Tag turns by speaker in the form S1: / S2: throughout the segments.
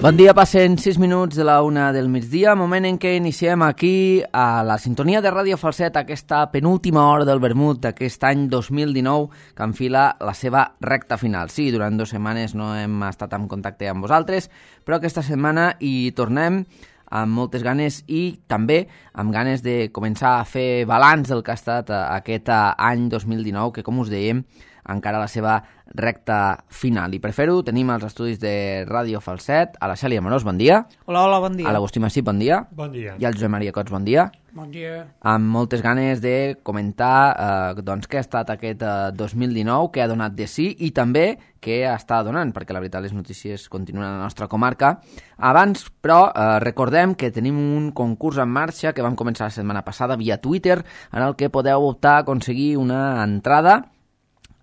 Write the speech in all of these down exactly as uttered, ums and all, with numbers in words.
S1: Bon dia, passen sis minuts de la una del migdia, moment en què iniciem aquí a la sintonia de Ràdio Falset aquesta penúltima hora del vermut d'aquest any dos mil dinou que enfila la seva recta final. Sí, durant dues setmanes no hem estat en contacte amb vosaltres, però aquesta setmana hi tornem amb moltes ganes i també amb ganes de començar a fer balanç del que ha estat aquest any dos mil dinou, que com us dèiem, encara la seva recta final. I per fer-ho tenim els estudis de Ràdio Falset, a la Cèlia Amorós, bon dia.
S2: Hola, hola, bon dia.
S1: A l'Agustí Massip, bon dia.
S3: Bon dia.
S1: I al Josep Maria Cots, bon dia.
S2: Bon dia.
S1: Amb moltes ganes de comentar eh, doncs, què ha estat aquest eh, dos mil dinou, què ha donat de sí i també què està donant, perquè la veritat les notícies continuen a la nostra comarca. Abans, però, eh, recordem que tenim un concurs en marxa que vam començar la setmana passada via Twitter, en el que podeu optar a aconseguir una entrada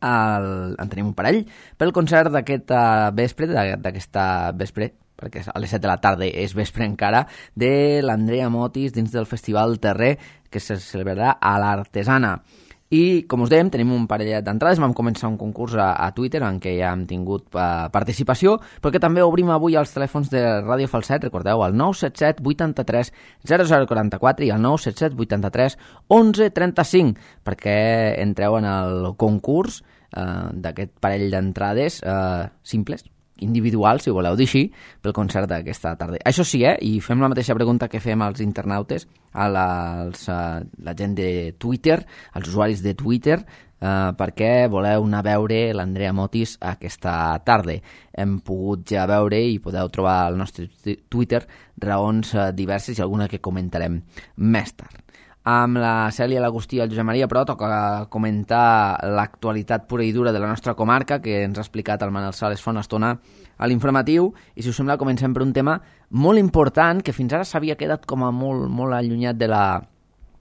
S1: El, en tenim un parell pel concert d'aquest uh, vespre, d'aquesta vespre, perquè a les set de la tarda és vespre encara, de l'Andrea Motis dins del Festival Terrer que se celebrarà a l'Artesana. I, com us dèiem, tenim un parell d'entrades. Vam començar un concurs a, a Twitter en què ja hem tingut uh, participació, però que també obrim avui els telèfons de Ràdio Falset, recordeu, el nou set set vuitanta-tres zero zero quaranta-quatre i el nou set set vuitanta-tres onze trenta-cinc, perquè entreu en el concurs uh, d'aquest parell d'entrades uh, simples, individual, si ho voleu dir així, pel concert d'aquesta tarda. Això sí, eh? I fem la mateixa pregunta que fem als internautes, a la, als, a la gent de Twitter, als usuaris de Twitter, eh, perquè voleu anar a veure l'Andrea Motis aquesta tarda. Hem pogut ja veure i podeu trobar al nostre Twitter raons eh, diverses i alguna que comentarem més tard. Amb la Cèlia, l'Agustí i el Josep Maria, però toca comentar l'actualitat pura i dura de la nostra comarca, que ens ha explicat el Manel Sales fa una estona a l'informatiu, i si us sembla comencem per un tema molt important que fins ara s'havia quedat com a molt, molt allunyat de la,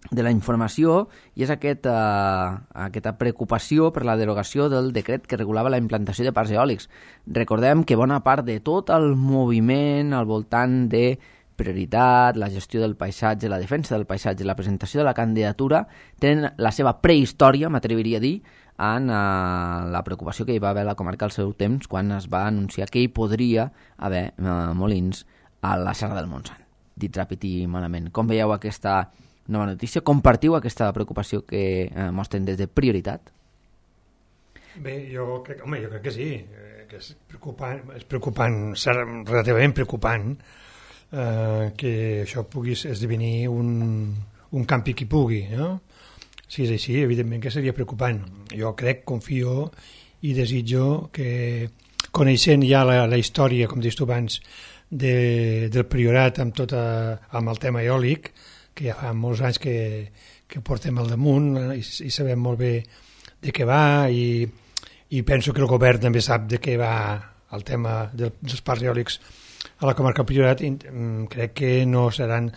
S1: de la informació, i és aquest, uh, aquesta preocupació per la derogació del decret que regulava la implantació de parcs eòlics. Recordem que bona part de tot el moviment al voltant de prioritat, la gestió del paisatge, la defensa del paisatge, la presentació de la candidatura tenen la seva prehistòria, m'atreviria a dir, en uh, la preocupació que hi va haver a la comarca al seu temps quan es va anunciar que hi podria haver uh, molins a la Serra del Montsant. Dit ràpid i malament. Com veieu aquesta nova notícia? Compartiu aquesta preocupació que uh, mostren des de prioritat?
S3: Bé, jo crec, home, jo crec que sí, que és preocupant, és preocupant, relativament preocupant, Uh, que això pugui esdevenir un, un campi qui pugui, no? Si és així, evidentment que seria preocupant. Jo crec, confio i desitjo que, coneixent ja la, la història, com dius tu abans, de, del Priorat amb, tota, amb el tema eòlic, que ja fa molts anys que, que portem al damunt i, i sabem molt bé de què va, i, i penso que el govern també sap de què va el tema del, dels parcs eòlics a la comarca Priorat. Crec que no seran,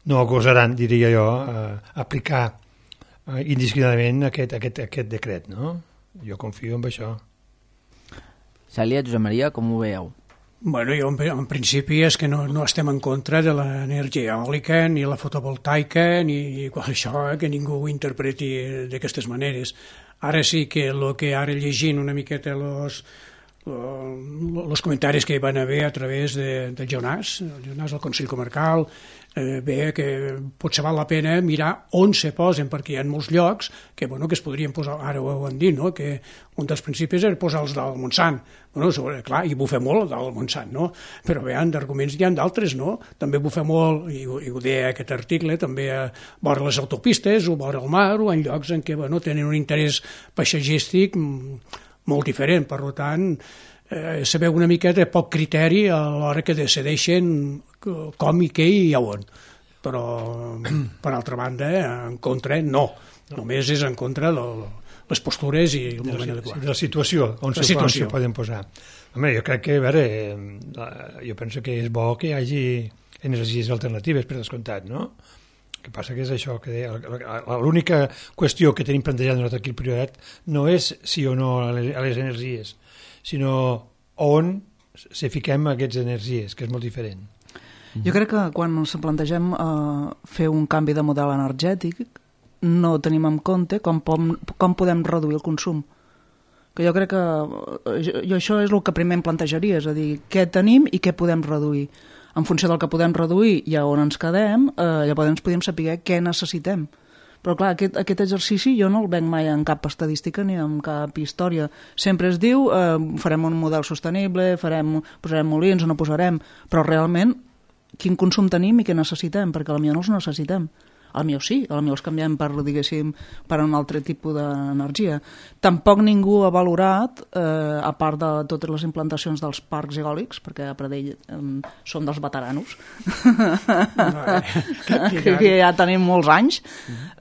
S3: no gosaran, diria jo, eh, aplicar eh, indiscriminadament aquest, aquest, aquest decret, no? Jo confio en això.
S1: Cèlia, Josep Maria, com ho veieu?
S2: Bueno, jo en, en principi és que no, no estem en contra de l'energia eòlica ni la fotovoltaica ni això, eh, que ningú ho interpreti d'aquestes maneres. Ara sí que el que ara llegint una miqueta los els comentaris que hi van haver a través de, del Jonàs, el Jonàs del Consell Comarcal, eh, bé que potser val la pena mirar on se posen, perquè hi ha molts llocs que, bueno, que es podrien posar, ara ho han dit, no? Que un dels principis és posar els del Montsant. Bueno, sobre, clar, i bufa molt el del Montsant, no? Però bé, d'arguments n'hi ha d'altres, no? També bufa molt, i, i ho deia aquest article, també a vora les autopistes o vora el mar o en llocs en què, bueno, tenen un interès paisatgístic molt diferent, per tant, eh, se veu una mica de poc criteri a l'hora que decideixen com i què i a on. Però, per altra banda, en contra, no. Només és en contra de les postures i el moment adequat.
S3: De la situació, on se poden posar. Home, jo crec que, a veure, jo penso que és bo que hi hagi energies alternatives, per descomptat, no? El que passa que és això, que l'única qüestió que tenim plantejada nosaltres aquí al Priorat no és sí o no a les energies, sinó on se fiquem aquestes energies, que és molt diferent.
S4: Jo crec que quan ens plantegem eh, fer un canvi de model energètic no tenim en compte com, pom, com podem reduir el consum. que jo crec que jo això és el que primer em plantejaria, és a dir, què tenim i què podem reduir. En funció del que podem reduir i a on ens quedem, eh, llavors podem saber què necessitem. Però clar, aquest, aquest exercici jo no el venc mai en cap estadística ni en cap història. Sempre es diu, eh, farem un model sostenible, farem, posarem molins o no posarem, però realment quin consum tenim i què necessitem, perquè potser no els necessitem. Potser sí, potser els canviem per, diguéssim, per un altre tipus d'energia. Tampoc ningú ha valorat, eh, a part de totes les implantacions dels parcs eòlics, perquè a Pradell eh, som dels veteranos, que, que, que ja tenim molts anys,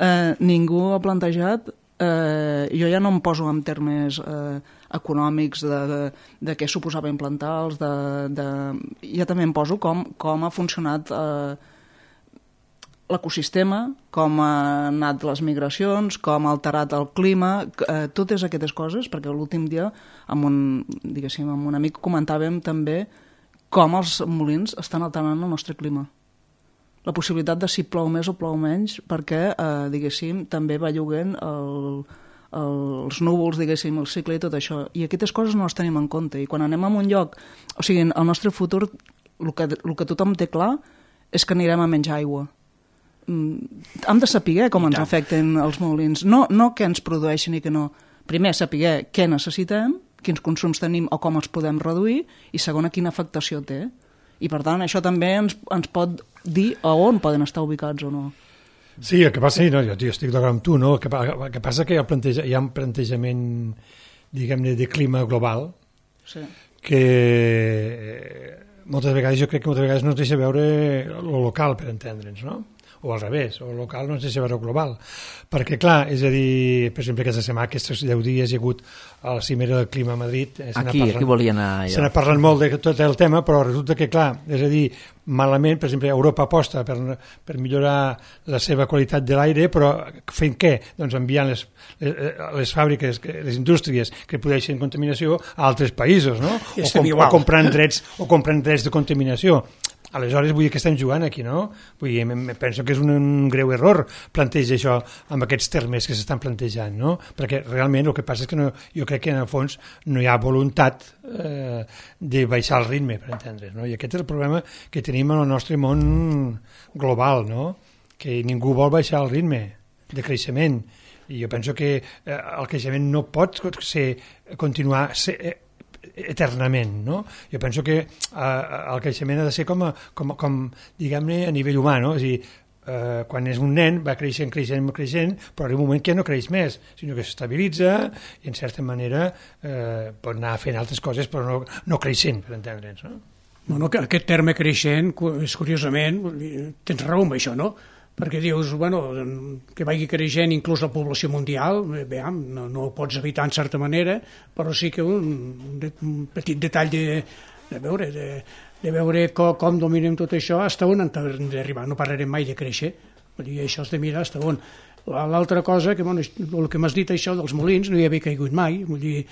S4: eh, ningú ha plantejat, eh, jo ja no em poso en termes eh, econòmics de, de, de què suposava implantar-los, de, de, ja també em poso com, com ha funcionat eh, l'ecosistema, com han anat les migracions, com ha alterat el clima, eh, totes aquestes coses, perquè l'últim dia amb un, diguéssim, amb un amic comentàvem també com els molins estan alterant el nostre clima. La possibilitat de si plou més o plou menys, perquè, eh, diguéssim, també va lloguent el, el, els núvols, diguéssim, el cicle i tot això. I aquestes coses no les tenim en compte. I quan anem a un lloc, o sigui, el nostre futur, el que, el que tothom té clar és que anirem a menys aigua. Hem de saber com ens afecten els molins, no, no què ens produeixen i què no. Primer, saber què necessitem, quins consums tenim o com els podem reduir, i segona, quina afectació té. I per tant, això també ens, ens pot dir a on poden estar ubicats o no.
S3: Sí, el que passa, no, jo, jo estic d'acord amb tu, no? El que, el que passa que hi ha, planteja, hi ha un plantejament, diguem-ne, de clima global, sí, que moltes vegades, jo crec que moltes vegades no ens deixa veure el local, per entendre'ns, no? O al revés, o local no ens deixa veure global. Perquè, clar, és a dir, per exemple, aquesta setmana, aquests deu dies hi ha hagut a la cimera del clima a Madrid. Eh,
S1: aquí, parlant, aquí volia anar allà.
S3: Se n'ha parlat molt de tot el tema, però resulta que, clar, és a dir, malament, per exemple, Europa aposta per, per millorar la seva qualitat de l'aire, però fent què? Doncs enviant les, les, les fàbriques, les indústries que produeixen contaminació a altres països, no? O, com, o, comprant drets, o comprant drets de contaminació. Aleshores, vull dir que estem jugant aquí, no? Vull dir, penso que és un, un greu error plantejar això amb aquests termes que s'estan plantejant, no? Perquè realment el que passa és que no, jo crec que en el fons no hi ha voluntat eh, de baixar el ritme, per entendre's, no? I aquest és el problema que tenim en el nostre món global, no? Que ningú vol baixar el ritme de creixement. I jo penso que eh, el creixement no pot ser, continuar ser, eh, eternament, no? Jo penso que eh, el creixement ha de ser com, a, com, com diguem-ne, a nivell humà, no? És a dir, eh, quan és un nen va creixent, creixent, creixent, però arriba un moment que no creix més, sinó que s'estabilitza i en certa manera eh, pot anar fent altres coses, però no, no creixent, per entendre'ns, no?
S2: Bueno, aquest terme creixent, és curiosament, tens raó amb això, no? Perquè dius, bueno, que vagi creixent inclús la població mundial, bé, no, no ho pots evitar en certa manera, però sí que un, un petit detall de, de veure, de, de veure com, com dominem tot això, fins on hem d'arribar. No parlarem mai de créixer, vull dir, això has de mirar fins on. L'altra cosa, que, bueno, el que m'has dit això dels molins, no hi havia caigut mai, vull dir,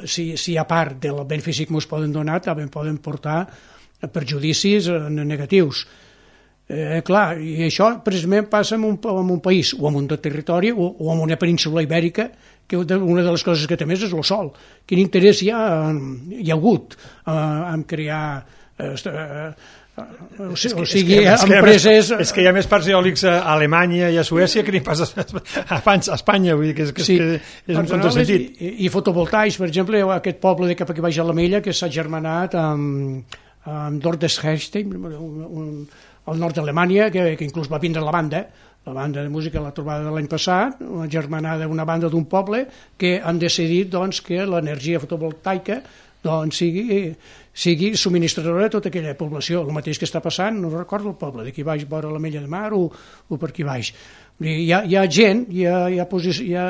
S2: si, si a part del benefici que ens poden donar, també poden portar perjudicis negatius. Eh, clar, i això precisament passa en un, en un país o en un territori o, o en una península ibèrica, que una de les coses que té més és el sol. Quin interès hi ha, hi ha hagut eh, en crear eh, eh, o sigui,
S3: és que, és que
S2: empreses...
S3: És que hi ha més parcs eòlics a Alemanya i a Suècia que ni pas a Espanya, vull dir que és, que, sí, que és un contrasentit.
S2: I, i fotovoltaics, per exemple, aquest poble de cap aquí baix a la Mella que s'ha germanat amb, amb Dordrecht-Hechstein, un, un al nord d'Alemanya, que, que inclús va vindre la banda, la banda de música, la trobada de l'any passat, una germanada d'una banda d'un poble, que han decidit doncs, que l'energia fotovoltaica doncs, sigui, sigui subministradora de tota aquella població. El mateix que està passant, no recordo el poble, d'aquí baix, vora la Mella de Mar o, o per aquí baix. Hi ha, hi ha gent, hi ha, hi, ha posició, hi, ha,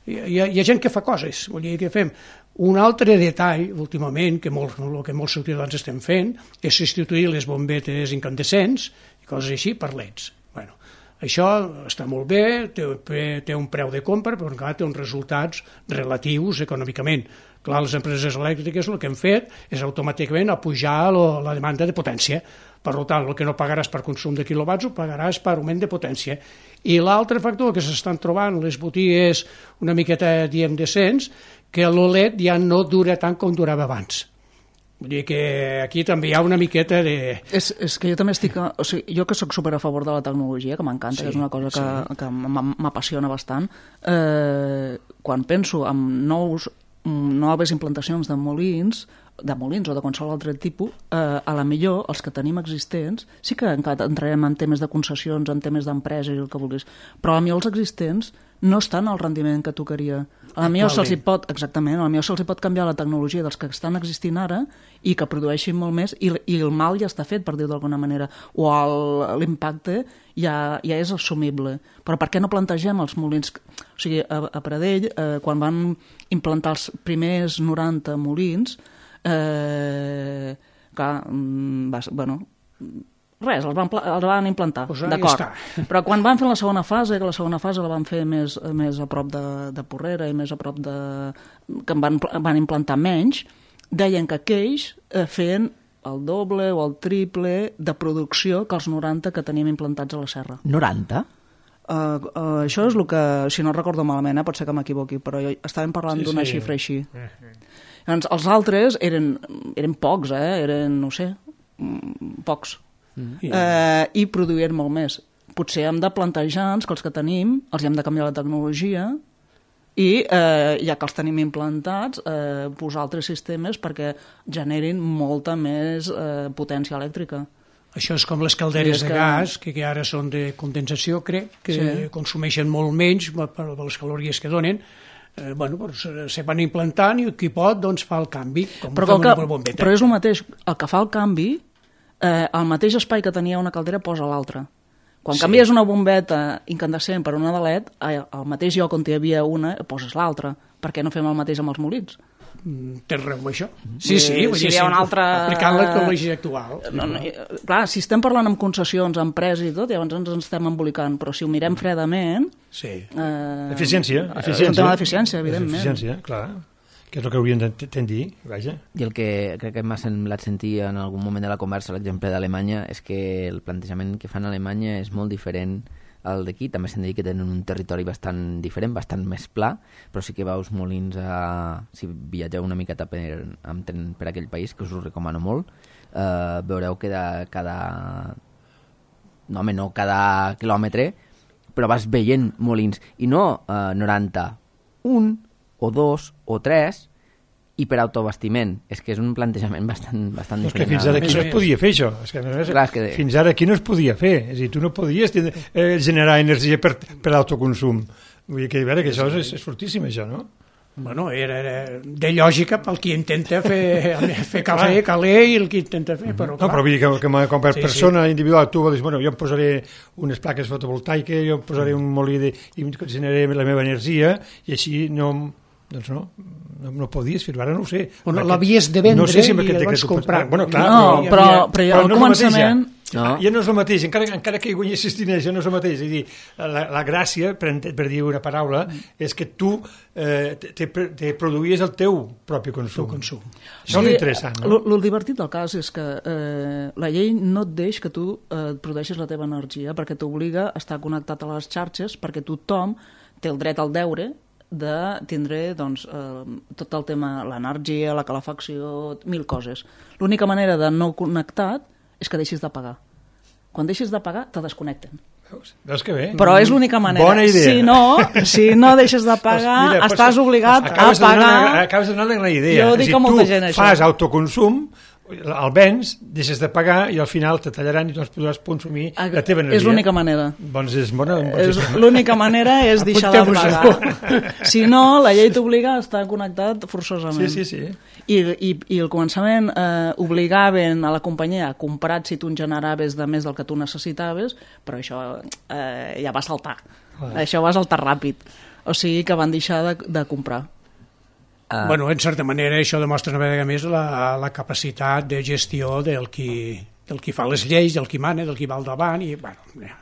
S2: hi, ha, hi ha gent que fa coses, vull dir, que fem. Un altre detall, últimament, que molt, el que molts ciutadans estem fent, és substituir les bombetes incandescents i coses així per leds. Bueno, això està molt bé, té, té un preu de compra, però encara té uns resultats relatius econòmicament. Clar, les empreses elèctriques el que han fet és automàticament apujar lo, la demanda de potència. Per tant, el que no pagaràs per consum de quilowatts ho pagaràs per augment de potència. I l'altre factor que s'estan trobant les botigues una miqueta, diem, decents, que l'O L E D ja no dura tant com durava abans. Vull dir que aquí també hi ha una miqueta de...
S4: És, és que jo també estic... O sigui, jo que sóc super a favor de la tecnologia, que m'encanta, sí, que és una cosa que, sí. que m'apassiona bastant, eh, quan penso en nous, noves implantacions de molins, de molins o de qualsevol altre tipus, eh, a la millor els que tenim existents, sí que encara entrarem en temes de concessions, en temes d'empreses i el que vulguis, però a la millor els existents no estan al rendiment que tocaria. A la millor se'ls pot, exactament, a la millor se'ls pot canviar la tecnologia dels que estan existint ara i que produeixin molt més, i, i el mal ja està fet, per dir-ho d'alguna manera, o l'impacte ja, ja és assumible. Però per què no plantegem els molins? O sigui, a, a Pradell, eh, quan van implantar els primers noranta molins, eh, clar, va, bueno, res, els van, els van implantar,
S2: pues
S4: d'acord. Però quan van fer la segona fase, que la segona fase la van fer més, més a prop de, de Porrera i més a prop de... que van, van implantar menys, deien que aquells eh, feien el doble o el triple de producció que els noranta que teníem implantats a la serra.
S1: noranta?
S4: Uh, uh, això és el que, si no recordo malament, eh, pot ser que m'equivoqui, però jo, estàvem parlant sí, d'una sí. xifra així. Llavors, els altres eren, eren pocs, eh? eren, no sé, pocs. Mm. Eh, i produïen molt més. Potser hem de plantejar-nos que els que tenim els hem de canviar la tecnologia i, eh, ja que els tenim implantats, eh, posar altres sistemes perquè generin molta més eh, potència elèctrica.
S2: Això és com les calderes de gas, que, que ara són de condensació, crec, que sí. consumeixen molt menys per les calories que donen. Eh, bueno, doncs, se van implantant i qui pot doncs, fa el canvi. Com
S4: però, que, però és el mateix, el que fa el canvi, eh, el mateix espai que tenia una caldera posa l'altra. Quan sí. canvies una bombeta incandescent per una de L E D, al mateix lloc on hi havia una, poses l'altra. Per què no fem el mateix amb els molins?
S2: Tens raó amb això? Sí, sí, vull
S4: si
S2: dir,
S4: hi ha una altra...
S2: aplicant la tecnologia actual.
S4: No, no, clar, si estem parlant amb concessions, empreses i tot, llavors ens, ens estem embolicant, però si ho mirem fredament...
S2: Sí.
S3: Eh, eficiència, eficiència.
S4: És un tema d'eficiència, evidentment.
S3: Eficiència, clar, que és el que hauríem de dir, vaja.
S1: I el que crec que m'ha semblat sentir en algun moment de la conversa, l'exemple d'Alemanya, és que el plantejament que fan a Alemanya és molt diferent al d'aquí. També s'han de dir que tenen un territori bastant diferent, bastant més pla, però sí que veus molins a... si viatgeu una miqueta per, amb tren per aquell país, que us ho recomano molt, eh, veureu que de cada... no, home, no cada quilòmetre, però vas veient molins, i no eh, noranta, un o dos o tres, i per autobastiment. És que és un plantejament bastant, bastant
S3: no,
S1: diferent.
S3: És que fins ara aquí no es podia fer això. És que, és, Clar, és que... Fins ara aquí no es podia fer. És a dir, tu no podies eh, generar energia per, per autoconsum. Vull dir que, veure, que això és, és fortíssim, això, no?
S2: Bueno, era, era de lògica pel qui intenta fer, fer cafè, calé i el qui intenta fer, però clar.
S3: No, però vull dir que, que com per
S2: sí,
S3: persona
S2: sí.
S3: individual tu dius, bueno, jo em posaré unes plaques fotovoltaiques, jo em posaré un molí de, i generaré la meva energia i així no... Doncs no, no, no podies fer-ho, ara no ho sé.
S2: Bueno, l'havies de vendre no sé si i el vas comprar.
S3: Bueno, clar,
S4: no, però, però, però, però al
S3: no
S4: començament...
S3: No. Ja no és el mateix, encara, encara que hi guanyessis diners, ja no és el mateix. És dir, la, la gràcia, per, per dir una paraula, és que tu eh, te, te produïes el teu propi consum.
S2: consum.
S3: Això sí, és interessant, no?
S4: El divertit del cas és que eh, la llei no et deix que tu eh, produeixis la teva energia, perquè t'obliga a estar connectat a les xarxes, perquè tothom té el dret al deure de tindre doncs, eh, tot el tema, l'energia, la calefacció, mil coses. L'única manera de no connectat és que deixis de pagar. Quan deixis de pagar, te desconnecten.
S3: Veus? Veus que bé?
S4: Però és l'única manera.
S3: Bona idea.
S4: Si no, si no deixes de pagar, pues mira, estàs pues, obligat a pagar...
S3: Una, acabes de donar una idea.
S4: Jo dic a molta gent,
S3: això. Tu fas autoconsum, el vens, deixes de pagar i al final te tallaran i no es podràs consumir la teva energia.
S4: És l'única manera.
S3: Doncs és bona.
S4: És l'única manera és deixar de pagar. Si no, la llei t'obliga a estar connectat forçosament.
S3: Sí, sí, sí.
S4: I, i, i al començament eh, obligaven a la companyia a comprar si tu en generaves de més del que tu necessitaves, però això eh, ja va saltar. Ah. Això va saltar ràpid. O sigui que van deixar de, de comprar.
S2: Uh. Bueno, en certa manera això demostra una vegada més la, la capacitat de gestió del qui, del qui fa les lleis, del qui mana, del qui va al davant i, bueno, ja.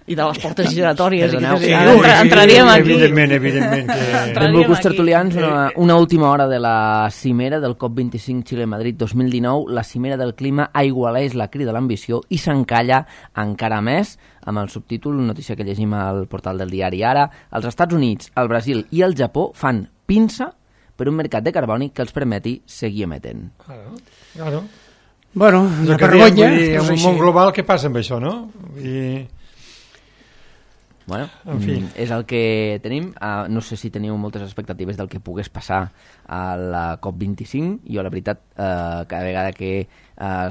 S4: I de les portes giratòries.
S1: Perdoneu,
S4: sí,
S1: sí,
S4: sí, entraríem
S3: sí,
S4: aquí.
S3: Evidentment, evidentment. Que...
S1: Benvolguts tertulians, una, una última hora de la cimera del COP vint-i-cinc Xile-Madrid dos mil dinou. La cimera del clima aigualeix la crida a l'ambició i s'encalla encara més amb el subtítol, notícia que llegim al portal del diari Ara. Els Estats Units, el Brasil i el Japó fan pinça per un mercat de carboni que els permeti seguir emetent.
S3: Claro, claro.
S2: Bueno,
S3: És
S2: una
S3: el que diem,
S2: vergonya.
S3: vull dir,
S2: és
S3: en un
S2: així.
S3: món global, què passa amb això, no? I...
S1: Bueno,
S3: En fi.
S1: mm, és el que tenim. Uh, no sé si teniu moltes expectatives del que pogués passar a la COP vint-i-cinc. Jo, la veritat, uh, cada vegada que uh,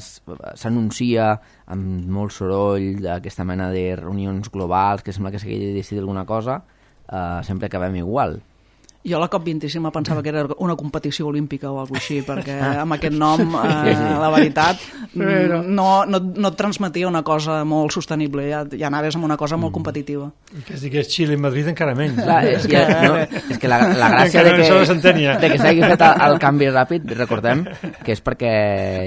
S1: s'anuncia amb molt soroll d'aquesta mena de reunions globals que sembla que s'hagi de decidir alguna cosa, uh, sempre acabem igual.
S4: Jo a la COP vint-i-cinc pensava que era una competició olímpica o alguna així, perquè amb aquest nom, eh, la veritat,
S2: Però...
S4: no, no, no et transmetia una cosa molt sostenible, ja, ja anaves amb una cosa molt competitiva.
S3: I que es digués Xile i Madrid encara menys.
S1: Clar, és, que, no, és que la, la gràcia
S3: Encara
S1: de
S3: això no
S1: que,
S3: s'entenia.
S1: de que s'hagi fet el, el canvi ràpid, recordem que és perquè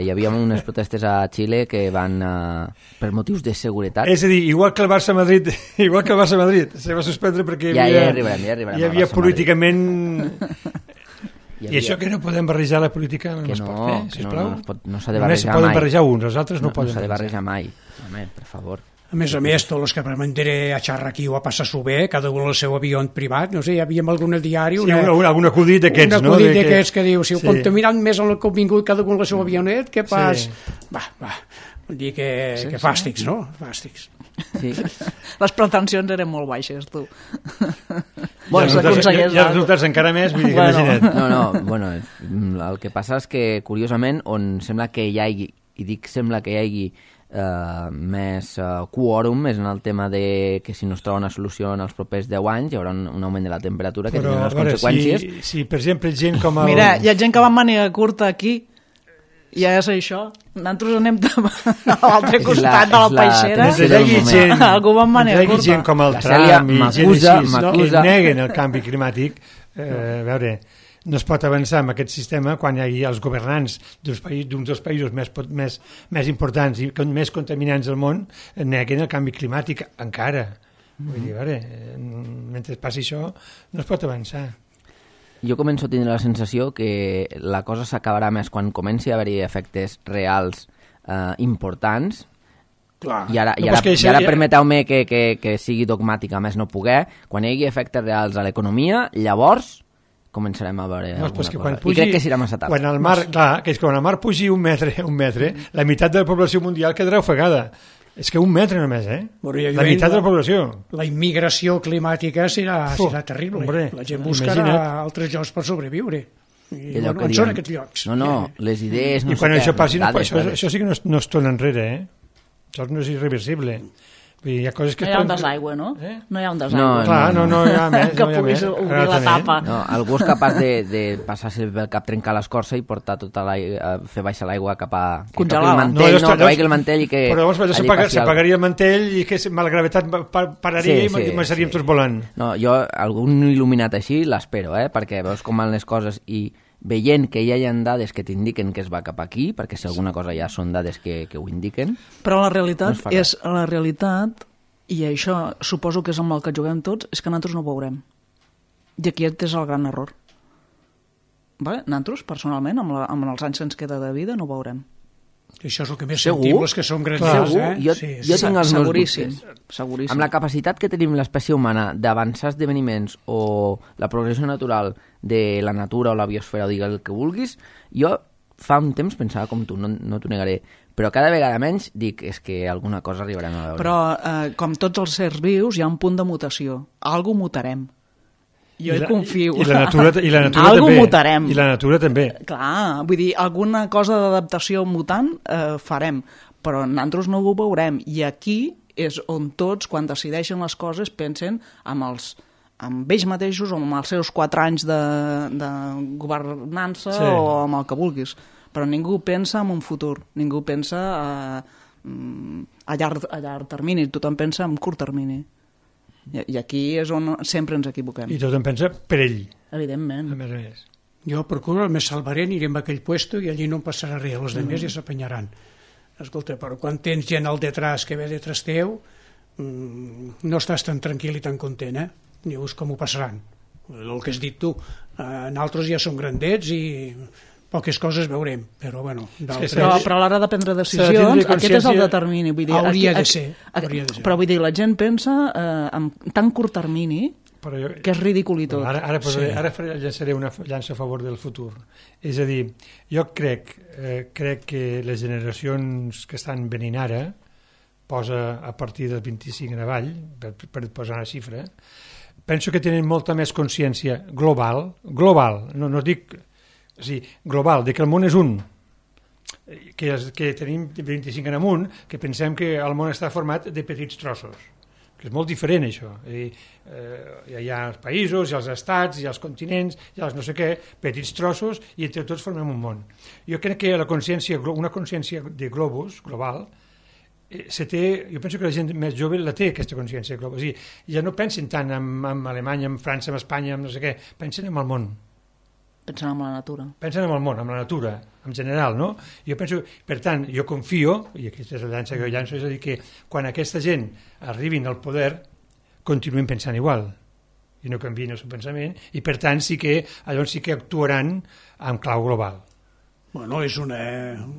S1: hi havia unes protestes a Xile que van uh, per motius de seguretat.
S3: És a dir, igual que el Barça-Madrid, igual que el Barça-Madrid, se va suspendre perquè hi
S1: Ja,
S3: havia,
S1: ja arribarem, ja arribarem
S3: hi
S1: al
S3: havia
S1: Barça-Madrid.
S3: políticament...
S1: Hi
S3: I això que no podem barrejar la política en
S1: que
S3: l'esport,
S1: no,
S3: eh?
S1: que no,
S3: Sisplau.
S1: no, es pot, no s'ha de
S3: Només se
S1: barrejar
S3: poden
S1: mai.
S3: barrejar uns, els altres no,
S1: no,
S3: poden
S1: no s'ha de
S3: barrejar.
S1: barrejar mai. Home, per favor.
S2: A més a més, tots els que van vendre a xarra aquí o a passar-s'ho bé, cada un el seu avió en privat, no sé, hi havia en algun diari
S3: Sí,
S2: una,
S3: un, un, algun acudit d'aquests,
S2: un
S3: no?
S2: acudit
S3: De que-
S2: d'aquests que diu, si ho
S3: Sí.
S2: contaminant més en el que ha vingut cada un el seu avionet, què pas?
S3: Sí.
S2: Va, va, vull dir que,
S4: Sí,
S2: que
S4: sí.
S2: fàstics, no? Fàstics.
S1: Sí.
S4: Les pretensions eren molt baixes, tu.
S3: Bueno,
S4: Ja s'aconsegueix
S3: i els
S4: l'altre.
S3: resultats encara més, vull dir que
S4: Bueno.
S3: imagina't.
S1: No, no, bueno, el que passa és que, curiosament, on sembla que hi hagi, i dic sembla que hi hagi eh, més eh, quòrum, és en el tema de que si no es troba una solució en els propers deu anys hi haurà un, un augment de la temperatura que
S3: Però,
S1: tindrà
S3: a
S1: unes
S3: veure,
S1: conseqüències.
S3: si, si, per exemple, gent com el...
S4: Mira, hi ha gent que va amb màniga curta aquí, ja és això. Nosaltres anem a l'altre
S1: És la-
S4: costat de la
S1: és la
S4: peixera.
S1: tensió
S3: Mentre hi hagi
S1: del
S3: gent,
S1: moment.
S4: Algú va amb màniga
S3: mentre hi hagi
S4: curta.
S3: gent com el
S1: La Cèlia
S3: Trump i gent
S1: m'acusa-
S3: així, no, que
S1: m'acusa.
S3: neguen el canvi climàtic, eh, a veure, no es pot avançar amb aquest sistema quan hi hagi els governants d'uns països, d'uns dels països més, pot- més, més importants i con- més contaminants del món neguen el canvi climàtic encara. Vull dir, a veure, eh, mentre passi això no es pot avançar.
S1: Jo començo a tindre la sensació que la cosa s'acabarà més quan comenci a haver-hi efectes reals eh, importants.
S2: Clar.
S1: I ara,
S3: No,
S1: i
S3: però
S1: ara,
S3: és que això
S1: i ara
S3: ja-
S1: permeteu-me que, que, que sigui dogmàtic a més no poder, quan hi hagi efectes reals a l'economia, llavors començarem a veure
S3: No, però és
S1: alguna
S3: que
S1: cosa.
S3: quan
S1: I
S3: pugi,
S1: crec que serà massa tard.
S3: Quan el mar, clar, que és que quan el mar pugi un metre, un metre, la meitat de la població mundial quedarà ofegada. És que un metre només, eh?
S2: Bueno, ja
S3: la
S2: diuen,
S3: meitat de la
S2: la-
S3: població.
S2: La immigració climàtica serà,
S3: Uf,
S2: serà terrible.
S3: hombre,
S2: la gent buscarà
S3: imagina't.
S2: altres llocs per sobreviure. I,
S1: Allò
S2: bueno,
S1: que
S2: on
S1: diem,
S2: són aquests llocs?
S1: No, no, les idees, no
S3: I quan
S1: sé
S3: això
S1: què,
S3: passi, no,
S1: dades,
S3: això,
S1: dades.
S3: això sí que no, es- no es torna enrere, eh? Això no és irreversible. Vull dir, hi ha coses que
S4: No
S3: es
S4: hi ha un
S3: poden-
S4: desaigüe, no?
S3: Eh?
S4: No hi ha un desaigüe.
S1: No,
S3: Clar, no, no hi ha més.
S4: Que
S3: no hi ha
S4: puguis
S3: més.
S4: obrir
S3: Ara
S4: la
S3: també.
S4: tapa.
S1: No, algú és capaç de, de passar-se pel cap, trencar l'escorça i portar tota l'aigua, fer baixar l'aigua cap a... Que
S4: Congelar-la.
S1: toqui el mantell,
S3: llavors-
S1: no, que
S3: llavors-
S1: vagi el mantell i que...
S3: Però llavors allò
S1: allí
S3: s'apaga-
S1: passi el-
S3: s'apagaria el mantell i que la gravetat pa- pa- pararia
S1: Sí,
S3: i
S1: sí,
S3: començaríem
S1: sí.
S3: tots volant.
S1: No, jo, algun il·luminat així, l'espero, eh? Perquè veus com van les coses i veient que ja hi ha dades que t'indiquen que es va cap aquí, perquè si alguna cosa ja són dades que, que ho indiquen...
S4: Però la
S1: No
S4: realitat
S1: es fa
S4: és la realitat, i això suposo que és amb el que juguem tots, és que nosaltres no ho veurem. I aquí és el gran error. Vale? Nosaltres, personalment, amb, la, amb els anys que ens queda de vida, no ho veurem.
S2: Això és el que més
S1: Segur?
S2: sentim, els que som grans.
S1: Segur?
S2: Eh?
S1: Jo-
S2: sí,
S1: jo
S2: sí.
S1: tinc els meus
S4: Seguríssim.
S1: dubtes.
S4: Seguríssim.
S1: Amb la capacitat que tenim l'espècie humana d'avançar esdeveniments o la progressió natural de la natura o la biosfera, o digues el que vulguis, jo fa un temps pensava com tu, no, no t'ho negaré, però cada vegada menys dic, és que alguna cosa arribarem a veure.
S4: Però, eh, com tots els sers vius, hi ha un punt de mutació. Algo mutarem. Jo
S3: I
S4: hi
S3: la,
S4: confio.
S3: I la natura, i la natura
S4: Algo
S3: també.
S4: mutarem.
S3: I la natura també.
S4: Clar, vull dir, alguna cosa d'adaptació mutant eh, farem, però nosaltres no ho veurem. I aquí és on tots, quan decideixen les coses, pensen amb els amb ells mateixos o amb els seus quatre anys de, de governança
S3: Sí.
S4: o amb el que vulguis. Però ningú pensa en un futur, ningú pensa a, a, llarg, a llarg termini, tothom pensa en curt termini. I, I aquí és on sempre ens equivoquem.
S3: I tothom pensa per ell,
S4: Evidentment.
S3: a més a més.
S2: Jo procuro el més salvaré, anirem a aquell puesto i allí no em passarà res, els altres ja s'apanyaran. Escolta, però quan tens gent al detrás que ve detrás teu, mmm, no estàs tan tranquil i tan content, eh? Dius com ho passaran. El que has dit tu, eh, nosaltres ja som grandets i poques coses veurem, però bueno, d'altres...
S3: Sí,
S4: Però, però a l'hora de prendre
S3: S'ha de
S4: decisions,
S3: tindre
S4: aquest és el
S3: consciència-
S4: determini. Vull dir,
S2: Hauria
S4: aquí,
S2: de
S4: aquí-
S2: ser,
S4: aquí-
S2: hauria de ser.
S4: Però vull dir, la gent pensa eh, en tan curt termini
S3: però jo,
S4: que és ridícul i tot.
S3: Ara, ara, posaré,
S2: Sí.
S3: ara faré, llançaré una llança a favor del futur. És a dir, jo crec, eh, crec que les generacions que estan venint ara, posa a partir del vint-i-cinc en avall, per, per posar una xifra, penso que tenen molta més consciència global, global, no, no dic, o sigui, global, de que el món és un, que, és, que tenim vint-i-cinc en amunt, que pensem que el món està format de petits trossos, que és molt diferent això. I, eh, hi ha els països, hi ha els estats, hi ha els continents, hi ha els no sé què, petits trossos, i entre tots formem un món. Jo crec que la consciència, una consciència de globus, global, eh, se té, jo penso que la gent més jove la té, aquesta consciència global. O sigui, ja no pensen tant en, en Alemanya, en França, en Espanya, en no sé què, pensen en el món.
S4: Pensen en la natura.
S3: Pensen en el món, en la natura, en general, no? Jo penso, per tant, jo confio, i aquesta és la llança que jo llanço, és a dir, que quan aquesta gent arribin al poder, continuïn pensant igual, i no canviïn el seu pensament, i per tant sí que, llavors sí que actuaran en clau global.
S2: Bueno, és, una,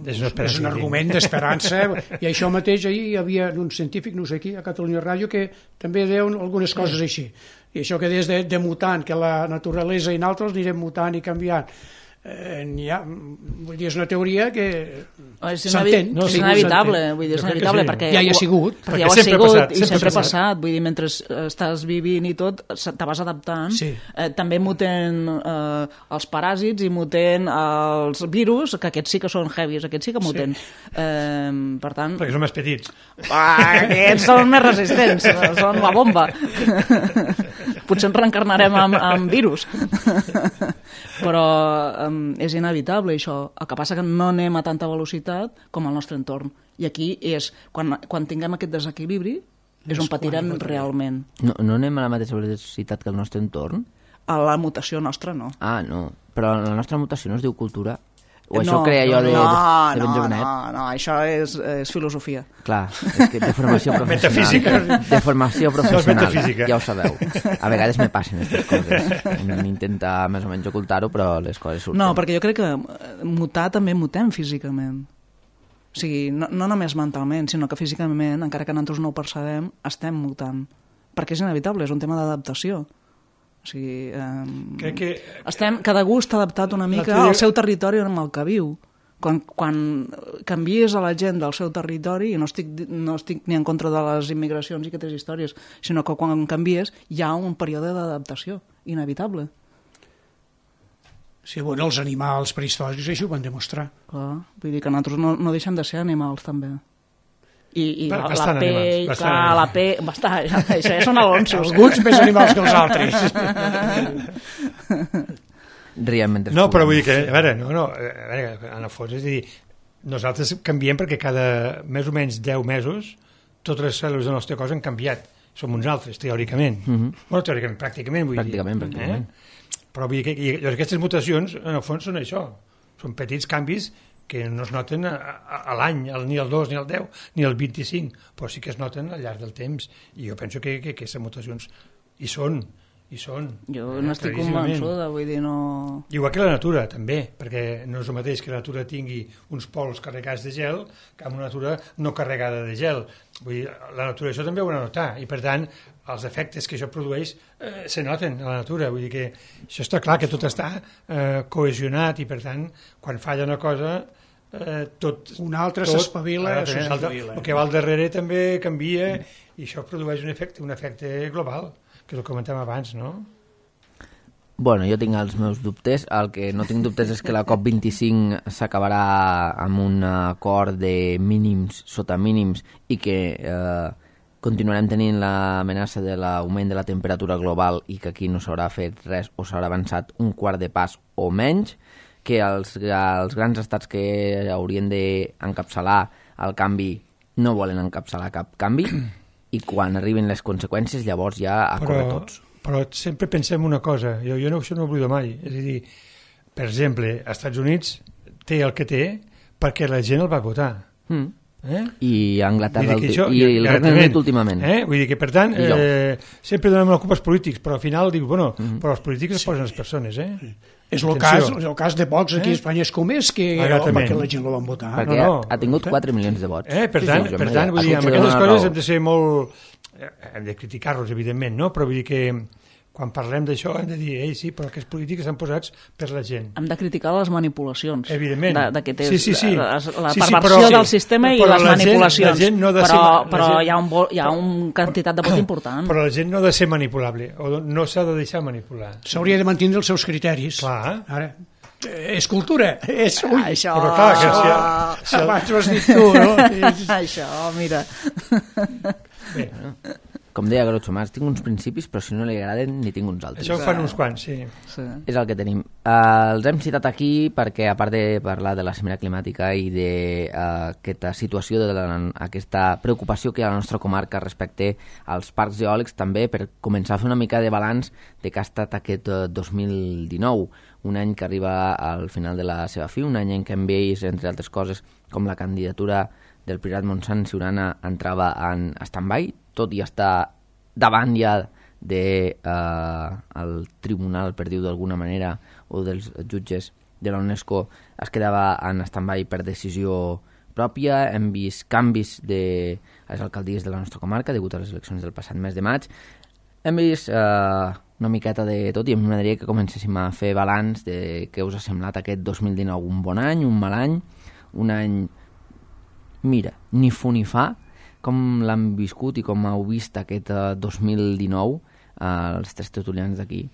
S3: És una
S2: és un argument d'esperança, i això mateix ahir hi havia un científic, no sé qui, a Catalunya Ràdio, que també deia algunes coses així. I això que des de, de mutant, que la naturalesa i nosaltres anirem mutant i canviant, eh, ha, vull dir, és una teoria que
S4: És,
S2: s'entén.
S4: no, és inevitable, vull dir, és inevitable,
S3: sí.
S4: perquè
S2: ja hi ha sigut.
S4: perquè ja ho ha
S3: sempre ha
S4: sigut
S3: passat,
S4: i
S3: sempre
S4: sempre
S3: ha
S4: ha passat, vull dir, mentre estàs vivint i tot, te vas adaptant.
S2: Sí.
S4: Eh, també muten eh, els paràsits i muten els virus, que aquests sí que són heavies, aquests sí que muten. Sí. Eh, per tant...
S3: Perquè són més petits.
S4: Ah, aquests són més resistents, són la bomba. Potser ens reencarnarem amb, amb virus. Però um, és inevitable això. El que passa que no anem a tanta velocitat com al nostre entorn. I aquí és, quan, quan tinguem aquest desequilibri, és on patirem realment.
S1: No, no anem a la mateixa velocitat que el nostre entorn?
S4: A la mutació nostra no.
S1: Ah, no. Però la nostra mutació no es diu cultura? O
S4: no,
S1: això ho creia jo de,
S4: no,
S1: de, de ben
S4: no,
S1: jovenet?
S4: no, no, això és, és filosofia.
S1: Clar, és que de formació professional.
S3: Metafísica.
S1: De formació professional,
S3: metafísica.
S1: ja ho sabeu. A vegades me passen aquestes coses. Intenta més o menys ocultar-ho, però les coses surten.
S4: No, perquè jo crec que mutar també mutem físicament. O sigui, no, no només mentalment, sinó que físicament, encara que nosaltres no ho percebem, estem mutant. Perquè és inevitable, és un tema d'adaptació. O sigui, eh,
S3: Crec que...
S4: estem, cada gust està adaptat una mica
S3: teoria...
S4: al seu territori amb el que viu. Quan, quan canvies a la gent del seu territori, i no estic, no estic ni en contra de les immigracions i aquestes històries, sinó que quan canvies hi ha un període d'adaptació inevitable.
S2: Sí, bueno, els animals prehistòrics això ho van demostrar.
S4: Clar, vull dir que nosaltres no, no deixem de ser animals, també. I, i la, la
S3: Bastant
S4: pell,
S3: animals, bastant
S4: clar,
S3: animals.
S4: la pell... Bastant, això ja són alonsos.
S2: Alguns més animals que els altres.
S1: Riem mentre
S3: No, però
S1: puguem.
S3: vull dir que, a veure, no, no, a veure, en el fons, és a dir, nosaltres canviem perquè cada més o menys deu mesos totes les cèl·lules del nostre cos han canviat. Som uns altres, teòricament.
S1: Uh -huh.
S3: Bueno, teòricament, pràcticament, vull
S1: Pràcticament,
S3: dir.
S1: pràcticament.
S3: Eh? Però vull dir que i, aquestes mutacions, en el fons, són això. Són petits canvis que no es noten a, a, a l'any, ni al dos, ni al deu, ni al vint-i-cinc, però sí que es noten al llarg del temps. I jo penso que, que aquestes mutacions hi són, hi són.
S4: Jo
S3: eh,
S4: no estic
S3: claríssimament.
S4: convençuda, vull dir, no...
S3: Igual que la natura, també, perquè no és el mateix que la natura tingui uns pols carregats de gel que una natura no carregada de gel. Vull dir, la natura això també ho ha de notar, i per tant, els efectes que això produeix eh, se noten a la natura. Vull dir que això està clar, que tot està eh, cohesionat, i per tant, quan falla una cosa, eh, tot...
S2: Un altre
S3: tot,
S2: s'espavila,
S3: eh,
S2: s'espavila.
S3: El que va al darrere també canvia, i això produeix un efecte, un efecte global, que és el que comentàvem abans, no?
S1: Bueno, jo tinc els meus dubtes. El que no tinc dubtes és que la COP vint-i-cinc s'acabarà amb un acord de mínims sota mínims i que eh, continuarem tenint l'amenaça de l'augment de la temperatura global i que aquí no s'haurà fet res o s'haurà avançat un quart de pas o menys, que els, els grans estats que haurien d'encapçalar el canvi no volen encapçalar cap canvi i quan arribin les conseqüències llavors ja a córrer tots.
S3: Però sempre pensem una cosa, jo, jo no, això no ho oblido mai, és a dir, per exemple, als Estats Units té el que té perquè la gent el va votar.
S1: Mm.
S3: Eh?
S1: I a Anglaterra
S3: Vull dir que això,
S1: i el Regne Unit últimament.
S3: Eh? Vull dir que, per tant, eh, sempre donem la culpa als polítics, però al final dic, bueno, mm -hmm. però els polítics es posen les persones, eh?
S2: És el cas, el cas de Vox aquí a Espanya és com és, que perquè la gent el van votar.
S1: Perquè
S3: no, no.
S1: ha tingut quatre milions de vots.
S3: Eh? Per tant,
S1: sí, sí,
S3: per tant vull dir, amb
S1: aquestes
S3: aquestes coses hem de ser molt... Hem de criticar-los, evidentment, no? Però vull dir que quan parlem d'això hem de dir, ei, sí, però aquestes polítiques estan posats per la gent.
S4: Hem de criticar les manipulacions.
S3: Evidentment.
S4: De, de que té
S3: sí, sí, sí.
S4: la, la
S3: sí,
S4: perversió
S3: sí, però,
S4: del sistema i
S3: però
S4: les
S3: la
S4: manipulacions.
S3: Gent, la gent no ha de
S4: però
S3: ser,
S4: però
S3: gent,
S4: hi ha, un, hi ha una quantitat de vot important.
S3: Però la gent no ha de ser manipulable, o no s'ha de deixar manipular.
S2: S'hauria de mantenir els seus criteris.
S3: Clar.
S2: Ara, és cultura, és... Ui,
S4: això,
S3: però clar, que si,
S2: si el... abans ho has dit tu, no? És...
S4: Això, mira.
S3: Bé,
S1: com deia Groucho Marx, tinc uns principis, però si no li agraden, ni tinc uns altres.
S3: això ho fan uns quants, sí.
S4: Sí.
S1: És el que tenim. Uh, els hem citat aquí perquè, a part de parlar de la cimera climàtica i d'aquesta uh, situació, d'aquesta preocupació que hi ha a la nostra comarca respecte als parcs eòlics, també per començar a fer una mica de balanç de que ha estat aquest uh, dos mil dinou, un any que arriba al final de la seva fi, un any en què hem vist, entre altres coses, com la candidatura del Priorat Montsant Siurana entrava en stand-by, tot i estar davant ja de, uh, el tribunal, per dir-ho d'alguna manera, o dels jutges de la UNESCO, es quedava en stand-by per decisió pròpia. Hem vist canvis de les alcaldies de la nostra comarca degut a les eleccions del passat mes de maig. Hem vist uh, una miqueta de tot i em m'agradaria que comencéssim a fer balanç de què us ha semblat aquest dos mil dinou, un bon any, un mal any, un any, mira, ni fu ni fa, com l'han viscut i com heu vist aquest uh, dos mil dinou uh, els tres tertulians d'aquí.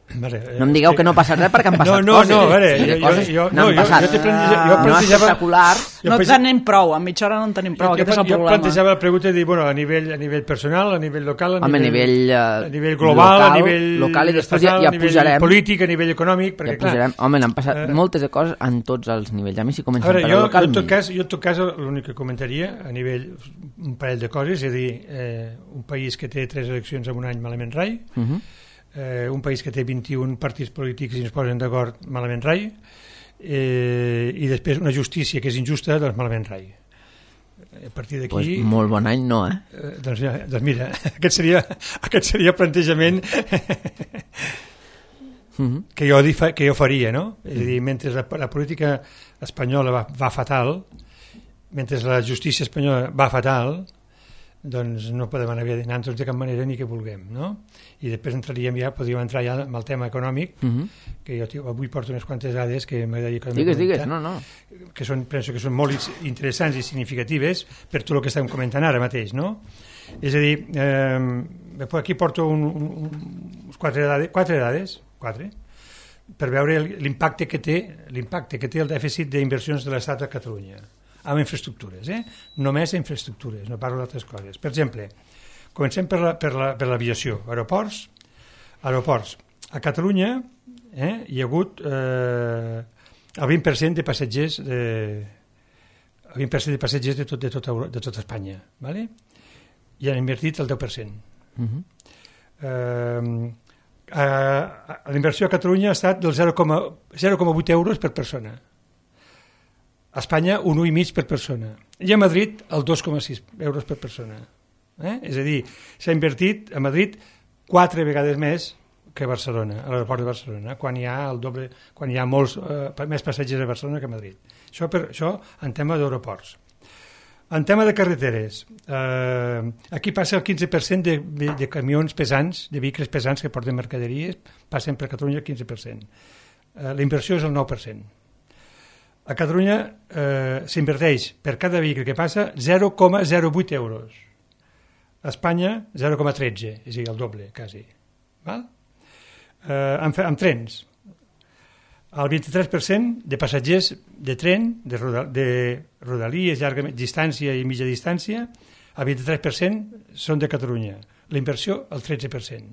S3: Vale,
S1: no em digueu que no passa res perquè han passat
S3: no, no,
S1: coses.
S3: No, no, veure,
S1: sí,
S3: jo,
S1: coses
S3: jo,
S1: no
S3: jo,
S1: passat.
S3: jo, jo, jo
S1: no espectaculars.
S4: No en tenim prou, a mitja hora no en tenim prou,
S3: jo,
S4: aquest és el
S3: jo
S4: problema.
S3: Jo plantejava la pregunta de dir, bueno, a nivell, a nivell personal, a nivell local, a
S1: Home,
S3: nivell,
S1: nivell, uh,
S3: a nivell global,
S1: local,
S3: a nivell
S1: local i després
S3: estatal,
S1: ja, ja
S3: a nivell
S1: pujarem,
S3: polític, a nivell econòmic, perquè
S1: ja pujarem.
S3: clar...
S1: Home, n'han passat
S3: eh,
S1: moltes de coses en tots els nivells. A mi si comencem
S3: veure,
S1: per
S3: jo,
S1: el local...
S3: Jo, en tot cas, jo en tot cas l'únic que comentaria a nivell un parell de coses, és a dir, eh, un país que té tres eleccions en un any malament rai,
S1: uh -huh.
S3: eh, un país que té vint-i-un partits polítics i es posen d'acord malament rai, eh, i després una justícia que és injusta, doncs malament rai. A partir d'aquí...
S1: Pues molt bon any no, eh?
S3: eh doncs, ja, doncs mira, aquest seria, aquest seria el plantejament
S1: uh -huh.
S3: que, jo, que jo faria, no? És a dir, mentre la, la política espanyola va, va fatal, mentre la justícia espanyola va fatal, doncs no podem anar bé anant de cap manera ni que vulguem, no? I després entraríem ja, podríem entrar ja amb el tema econòmic, uh -huh. que jo tio, avui porto unes quantes dades que m'agradaria que
S1: digues, digues, no, no.
S3: que són, penso que són molt interessants i significatives per tot el que estem comentant ara mateix, no? És a dir, eh, aquí porto un, un, uns quatre dades, quatre dades, quatre, per veure l'impacte que té l'impacte que té el dèficit d'inversions de l'Estat a Catalunya amb infraestructures, eh? Només infraestructures, no parlo d'altres coses. Per exemple, comencem per la, per la, per l'aviació, aeroports, aeroports. A Catalunya eh, hi ha hagut eh, el vint per cent de passatgers de, el vint per cent de passatgers de tot, de tot, de tot Espanya, ¿vale? I han invertit el deu per cent. Uh-huh. eh, a, a, la inversió a Catalunya ha estat del zero coma vuit euros per persona. A Espanya un un i mig per persona i a Madrid el dos coma sis euros per persona, eh? És a dir, s'ha invertit a Madrid quatre vegades més que a Barcelona, a l'aeroport de Barcelona, quan hi ha el doble, quan hi ha molts eh, més passatgers a Barcelona que a Madrid. Això, per, això en tema d'aeroports. En tema de carreteres, eh, aquí passa el quinze per cent de, de, de camions pesants, de vehicles pesants que porten mercaderies, passen per Catalunya el quinze per cent. Eh, la inversió és el nou per cent. A Catalunya eh, s'inverteix per cada vehicle que passa zero coma zero vuit euros. A Espanya zero coma tretze, és a dir, el doble, quasi. Val? Eh, amb, amb trens, el vint-i-tres per cent de passatgers de tren, de, roda, de rodalies, llarga distància i mitja distància, el vint-i-tres per cent són de Catalunya. La inversió, el tretze per cent.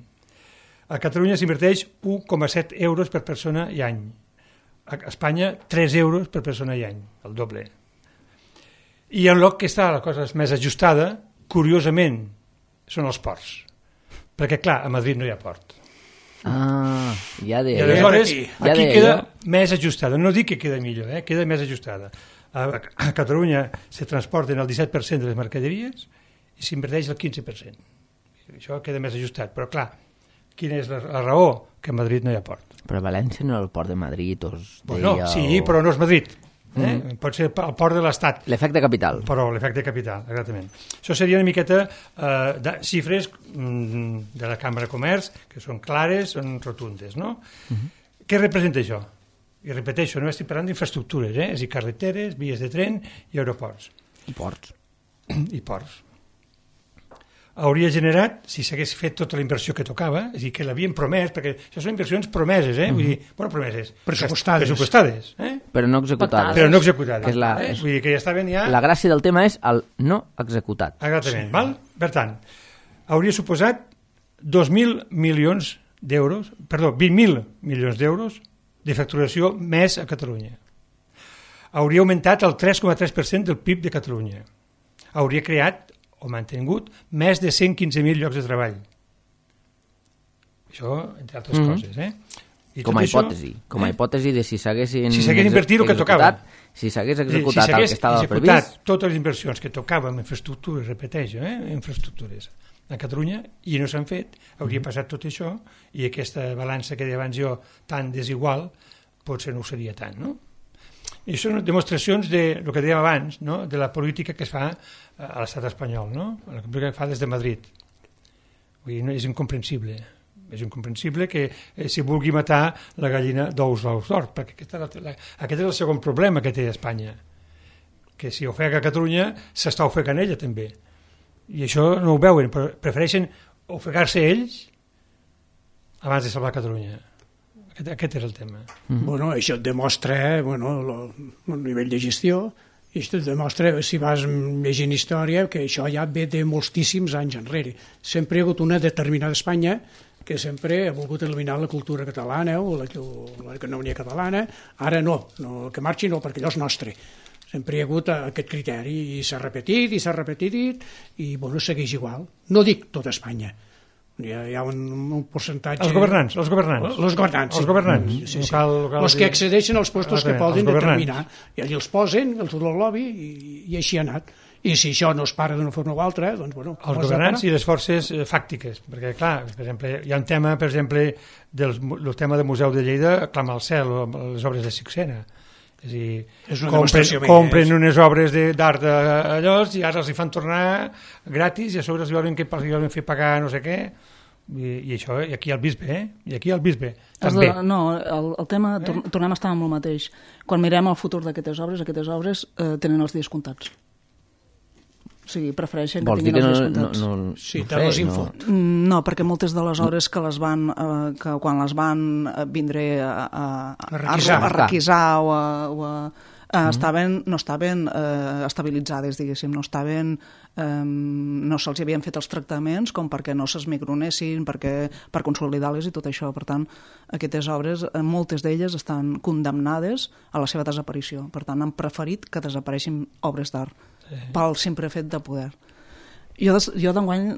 S3: A Catalunya s'inverteix un coma set euros per persona i any. A Espanya, tres euros per persona i any, el doble. I en lloc que està la cosa més ajustada, curiosament, són els ports. Perquè, clar, a Madrid no hi ha port.
S1: Ah, ja deia.
S3: I aleshores,
S1: aquí,
S3: aquí
S1: ja deia
S3: queda
S1: jo.
S3: més ajustada. No dic que queda millor, eh? Queda més ajustada. A, a Catalunya se transporten el disset per cent de les mercaderies i s'inverteix el quinze per cent. Això queda més ajustat. Però, clar, quina és la, la raó? Que a Madrid no hi ha port.
S1: Però a València no era el port de Madrid, us deia...
S3: Bueno, sí, però no és Madrid. Eh? Mm. Pot ser el port de l'Estat.
S1: L'efecte capital.
S3: Però l'efecte capital, exactament. Això seria una miqueta eh, de xifres mm, de la Cambra de Comerç, que són clares, són rotundes, no? Mm-hmm. Què representa això? I repeteixo, no estic parlant d'infraestructures, eh? És a dir, carreteres, vies de tren i aeroports.
S1: I ports.
S3: I ports. Hauria generat, si s'hagués fet tota la inversió que tocava, és a dir, que l'havien promès, perquè això són inversions promeses, eh? Mm-hmm. Vull dir, bueno, promeses.
S2: Pressupostades.
S3: Pressupostades, eh?
S1: Però no executades.
S3: Però no executades.
S1: Que és la,
S3: eh? Vull dir que ja estaven ja...
S1: La gràcia del tema és el no executat.
S3: Exactament, sí. Val? Per tant, hauria suposat dos mil milions d'euros, perdó, vint mil milions d'euros de facturació més a Catalunya. Hauria augmentat el tres coma tres per cent del P I B de Catalunya. Hauria creat o mantingut més de cent quinze mil llocs de treball. Això, entre altres mm-hmm. coses. Eh? I
S1: com a
S3: això,
S1: hipòtesi. Com a
S3: eh?
S1: hipòtesi de si s'haguessin...
S3: Si s'hagués invertit el que tocava.
S1: Si s'hagués executat
S3: si
S1: el que estava previst... Si s'hagués executat
S3: totes les inversions que tocava en infraestructures, repeteixo, eh? infraestructures a Catalunya, i no s'han fet, hauria mm-hmm. passat tot això, i aquesta balança que deia abans jo, tan desigual, potser no ho seria tant, no? I són demostracions de el que dèiem abans, no? De la política que es fa a l'estat espanyol, no? La política que fa des de Madrid. Vull dir, no, és incomprensible. És incomprensible que eh, si vulgui matar la gallina d'ous d'ous d'or, perquè aquest, la, la, aquest és el segon problema que té Espanya, que si ofega Catalunya s'està ofegant ella també, i això no ho veuen, però prefereixen ofegar-se ells abans de salvar Catalunya. Aquest, aquest és el tema.
S2: Mm-hmm. Bueno, això et demostra bueno, lo, el nivell de gestió, i això et demostra, si vas llegint història, que això ja ve de moltíssims anys enrere. Sempre hi ha hagut una determinada Espanya que sempre ha volgut eliminar la cultura catalana o la, l'economia catalana. Ara no, no, que marxi no, perquè allò és nostre. Sempre hi ha hagut aquest criteri i s'ha repetit i s'ha repetit i bueno, segueix igual. No dic tota Espanya. Hi ha, hi ha un, un percentatge...
S3: Els governants, els governants.
S2: Els governants,
S3: els governants.
S2: Sí, sí, sí.
S3: Local, local,
S2: els que accedeixen als postos que poden determinar. I allà els posen, el tot el lobby, i, i així ha anat. I si això no es para d'una forma o altra, doncs, bueno...
S3: Els governants i les forces fàctiques, perquè, clar, per exemple, hi ha un tema, per exemple, del, del tema del Museu de Lleida, Clama al cel, les obres de Sixena. És a dir,
S2: és
S3: compren, compren unes obres d'art d'allò i ara els hi fan tornar gratis i a sobre els volen, que, els volen fer pagar no sé què. I, i això, i aquí al bisbe, eh? I aquí al bisbe, també.
S4: De, no, el, el tema, eh? tornem a estar amb el mateix. Quan mirem el futur d'aquestes obres, aquestes obres eh, tenen els dies comptats. O sigui, prefereixen que tinguin els dies comptats.
S1: No, no, no,
S2: sí,
S1: no,
S2: no, no.
S4: no, perquè moltes de les obres que les van, eh, que quan les van vindré a, a, a,
S2: requisar.
S4: a requisar o a... O a Uh, estaven, no estaven uh, estabilitzades, diguéssim, no estaven, um, no se'ls havien fet els tractaments com perquè no s'esmicronessin, perquè, per consolidar-les i tot això. Per tant, aquestes obres, moltes d'elles estan condemnades a la seva desaparició. Per tant, han preferit que desapareixin obres d'art sí. pel simple fet de poder. Jo, des, jo d'enguany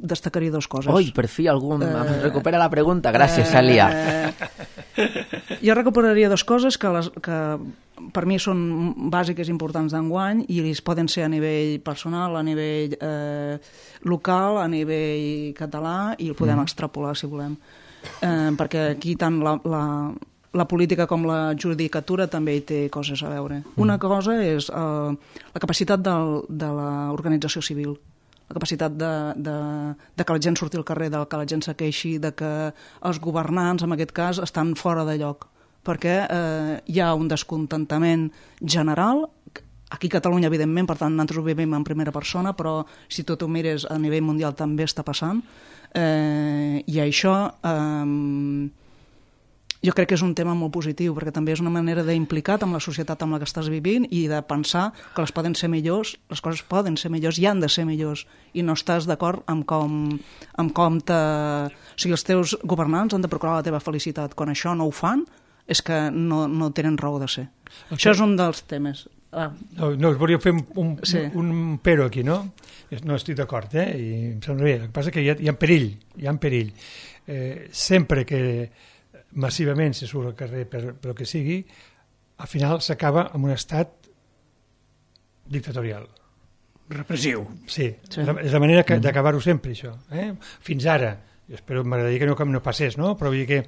S4: destacaria dues coses.
S1: Oi, per fi algú em uh, recupera la pregunta. Gràcies, uh, Cèlia.
S4: Uh, jo recuperaria dues coses que, les, que per mi són bàsiques i importants d'enguany i es poden ser a nivell personal, a nivell eh, local, a nivell català i el podem mm. extrapolar si volem. Eh, perquè aquí tant la, la, la política com la judicatura també hi té coses a veure. Mm. Una cosa és eh, la capacitat del, de l'organització civil, la capacitat de, de, de que la gent surti al carrer, de que la gent se queixi, de que els governants, en aquest cas, estan fora de lloc, perquè eh, hi ha un descontentament general, aquí a Catalunya, evidentment, per tant, nosaltres ho vivim en primera persona, però si tu t'ho mires a nivell mundial també està passant, eh, i això eh, jo crec que és un tema molt positiu, perquè també és una manera d'implicar-te amb la societat amb la que estàs vivint i de pensar que les poden ser millors, les coses poden ser millors i han de ser millors, i no estàs d'acord amb com, amb com te... O sigui, els teus governants han de procurar la teva felicitat. Quan això no ho fan, és que no, no tenen raó de ser. Okay. Això és un dels temes. Ah.
S3: No, no, us volia fer un, un,
S4: sí.
S3: un pero aquí, no? No estic d'acord, eh? I em sembla bé. El que passa és que hi ha, hi ha perill, hi ha perill. Eh, sempre que massivament se surt al carrer per, per el que sigui, al final s'acaba amb un estat dictatorial.
S2: Repressiu.
S3: Sí, sí. És la manera d'acabar-ho sempre, això. Eh? Fins ara jo espero, m'agradaria que no, que no passés, no? Però vull dir que,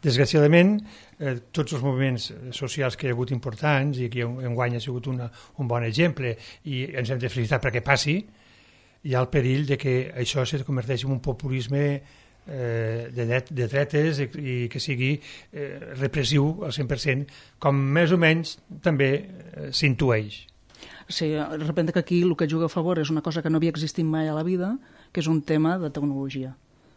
S3: desgraciadament, eh, tots els moviments socials que hi ha hagut importants, i aquí enguany ha sigut una, un bon exemple, i ens hem de felicitar perquè passi, hi ha el perill de que això se converteixi en un populisme eh, de, dret, de dretes i, i que sigui eh, repressiu al cent per cent, com més o menys també eh, s'intueix.
S4: Sí, de repente que aquí el que juga a favor és una cosa que no havia existit mai a la vida, que és un tema de tecnologia.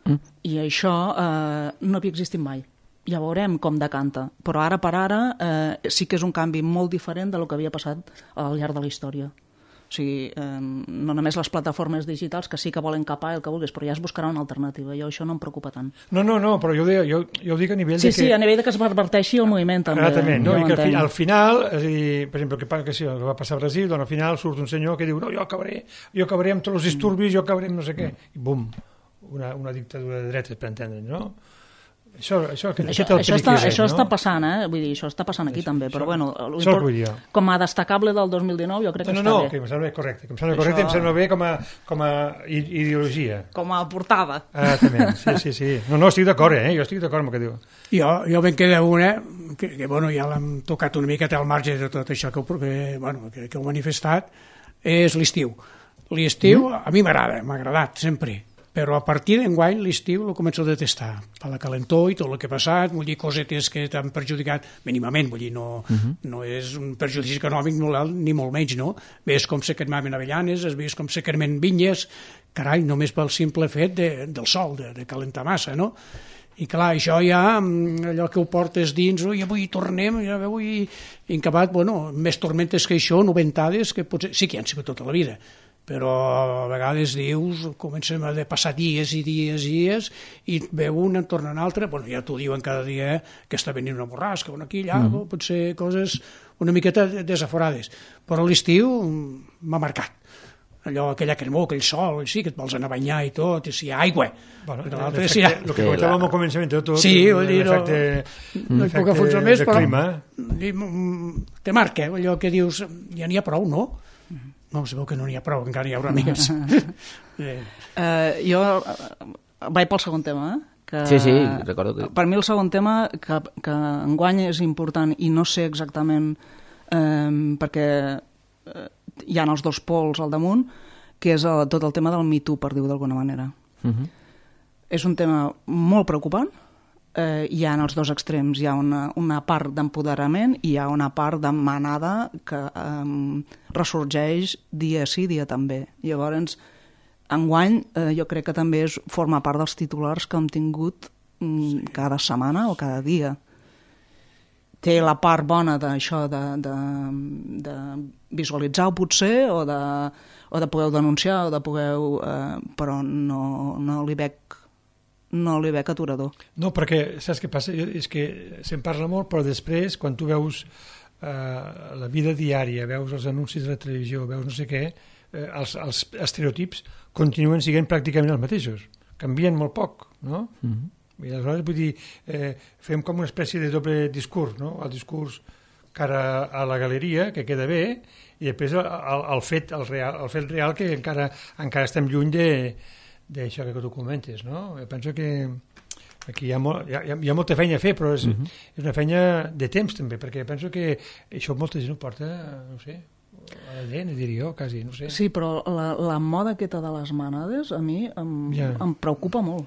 S4: Mm. I això eh, no havia existit mai. Ja veurem com decanta. Però ara per ara eh, sí que és un canvi molt diferent del que havia passat al llarg de la història. O sigui, eh, no només les plataformes digitals, que sí que volen capar el que vulguis, però ja es buscarà una alternativa. Jo això no em preocupa tant.
S3: No, no, no, però jo ho, deia, jo, jo ho dic a nivell
S4: sí,
S3: de que...
S4: Sí, sí, a nivell de que es reverteixi el moviment també.
S3: Exactament, no?
S4: Ja
S3: I que al, fi, al final, és a dir, per exemple, que, que, sí, que va passar a Brasil, doncs al final surt un senyor que diu no, jo acabaré, jo acabaré amb tots els disturbis, jo acabaré amb no sé què, i bum, una, una dictadura de dretes, per entendre'ns, no? Això, això, això,
S4: això, això, està, és, això no? està passant, eh? Vull dir, això està passant aquí això, també, però això, bueno, import, com a destacable del dos mil dinou jo crec que
S3: no,
S4: està
S3: no,
S4: bé.
S3: No, que em sembla correcte, que em sembla correcte, això... em sembla bé com a, com a ideologia.
S4: Com a portada.
S3: Ah, també, sí, sí, sí. No, no, estic d'acord, eh? Jo estic d'acord amb el que diu.
S2: Jo, jo me'n queda una, que, que bueno, ja l'hem tocat una miqueta al marge de tot això que, que, bueno, que, que heu manifestat, és l'estiu. L'estiu mm. a mi m'agrada, m'ha agradat sempre. Però a partir d'enguany l'estiu el començo a detestar, per la calentor i tot el que ha passat, vull dir, cosetes que t'han perjudicat mínimament, vull dir, no, uh-huh. no és un perjudici econòmic ni molt menys, no? Ves com se cremaven avellanes, ves com se cremen vinyes, carai, només pel simple fet de, del sol, de, de calentar massa, no? I clar, això ja, allò que ho portes dins, oi, avui tornem, ja avui incabat, bueno, més tormentes que això, noventades, que potser sí que han sigut tota la vida, però a vegades dius, comencem a passar dies i dies i dies i et veu una, en torna una altra, bueno, ja t'ho diuen cada dia que està venint una borrasca, una aquí, allà, mm. potser coses una miqueta desaforades, però l'estiu m'ha marcat. Allò, aquella cremor, aquell sol, sí, que et vols anar a banyar i tot, i si hi ha aigua.
S3: Bueno, el sí, que comentàvem al començament de tot,
S2: sí,
S3: l'efecte
S2: no hi puc afonsar més, però te marca, allò que dius, ja n'hi ha prou, no? No, es veu que no n'hi ha prou, encara n'hi haurà més.
S4: eh. uh, jo vaig pel segon tema, eh? Que,
S1: sí, sí, recordo que...
S4: Per mi el segon tema, que, que enguany és important i no sé exactament eh, perquè eh, hi ha els dos pols al damunt, que és el, tot el tema del Me Too, per dir-ho d'alguna manera. Uh-huh. És un tema molt preocupant. Eh, hi ha en els dos extrems, hi ha una, una part d'empoderament i hi ha una part de manada que eh, ressorgeix dia sí, dia també. Llavors, enguany, eh, jo crec que també és, forma part dels titulars que hem tingut mm, sí. cada setmana o cada dia. Té la part bona d'això, de, de, de visualitzar-ho potser, o de, o de poder denunciar, o de poder... Eh, però no, no li veig no li veig aturador.
S3: No, perquè saps què passa? És que se'n parla molt, però després, quan tu veus eh, la vida diària, veus els anuncis de la televisió, veus no sé què, eh, els, els estereotips continuen sent pràcticament els mateixos. Canvien molt poc, no? Mm-hmm. I aleshores, vull dir, eh, fem com una espècie de doble discurs, no? El discurs cara a la galeria, que queda bé, i després el, el, el, fet, el, real, el fet real que encara, encara estem lluny de d'això que tu comentes, no? Jo penso que aquí hi ha, molt, hi ha, hi ha molta feina a fer, però és, uh-huh. és una feina de temps també, perquè penso que això molta gent ho porta, no sé, a la gent, diria jo, quasi, no sé.
S4: Sí, però la, la moda aquesta de les manades a mi em, ja. em preocupa molt,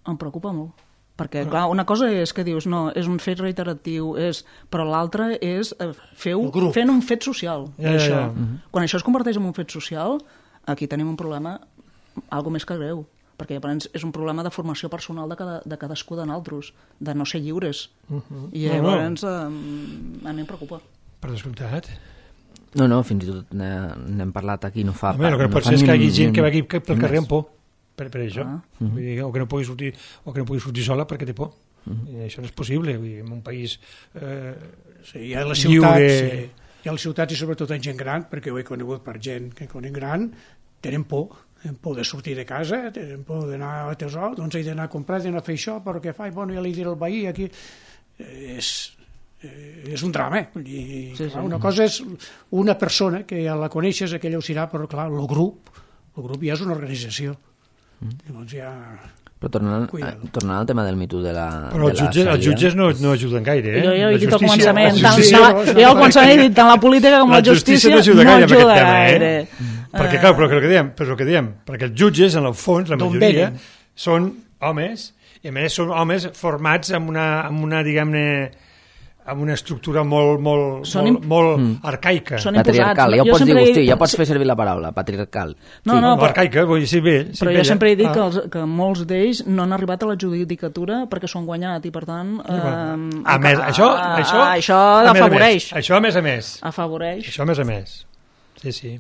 S4: em preocupa molt. Perquè, clar, una cosa és que dius, no, és un fet reiteratiu, és, però l'altra és fer fent un fet social.
S3: Ja,
S4: això.
S3: ja, ja. Uh-huh.
S4: Quan això es converteix en un fet social, aquí tenim un problema algo més que greu, perquè llavors és un problema de formació personal de, cada, de cadascú de nosaltres, de no ser lliures. Uh-huh. I llavors no, no. a mi em preocupa.
S3: Per descomptat.
S1: No, no, fins i tot n'hem parlat aquí, no fa...
S3: Home, el que no pot ser és que hi hagi gent que va aquí pel carrer amb por, per, per això. Ah. Uh-huh. Vull dir, o que no pugui sortir, o que no pugui sortir sola perquè té por. Uh-huh. I això no és possible, vull dir, en un país eh,
S2: sí, hi ha les ciutats, lliure... Sí. Hi ha les ciutats i sobretot en gent gran, perquè ho he conegut per gent que conec gran, tenen por. Tenen por de sortir de casa, tenen por d'anar a tesor, doncs he d'anar a comprar, he d'anar a fer això, però què fa? Bueno, ja li diré al veí, aquí... És, és un drama, eh? Vull dir,
S4: sí,
S2: clar,
S4: sí.
S2: Una cosa és una persona que ja la coneixes, aquella ho serà, però clar, el grup, el grup ja és una organització. Mm. Llavors ja...
S1: Però tornant, eh, tornant al tema del Me Too de la
S3: Però els jutges, els jutges no, no ajuden gaire, eh?
S4: Jo, jo he
S3: La
S4: dit al
S3: justícia-
S4: començament,
S3: la
S4: tant,
S3: justícia-
S4: tant, jo al començament he dit tant la política com la,
S3: La justícia no ajuda gaire amb aquest tema, eh? Perquè, clar, però el que diem, però el que diem, perquè els jutges, en el fons, la
S2: D'on
S3: majoria,
S2: venen?
S3: són homes, i a més són homes formats amb una, amb una diguem-ne, amb una estructura molt, molt,
S4: Són
S3: molt,
S4: im-
S3: molt
S1: Mm.
S3: arcaica.
S4: Són
S1: Patriarcal,
S4: imposats.
S1: ja ho
S4: Jo
S1: pots dir,
S4: sempre he
S1: Agustí,
S4: dit-
S1: ja pots fer servir la paraula, patriarcal.
S4: No,
S1: Sí.
S4: no,
S3: No,
S4: però,
S3: arcaica, vull dir, sí, bé. Sí,
S4: però jo
S3: bella.
S4: sempre he dit
S3: Ah.
S4: que, els, que molts d'ells no han arribat a la judicatura perquè s'ho han guanyat i, per tant... Eh,
S3: A més, això,
S4: a-
S3: això,
S4: a- això
S3: a més a
S4: afavoreix.
S3: més. Això a més a més.
S4: Afavoreix.
S3: Això a més a més. Sí, sí.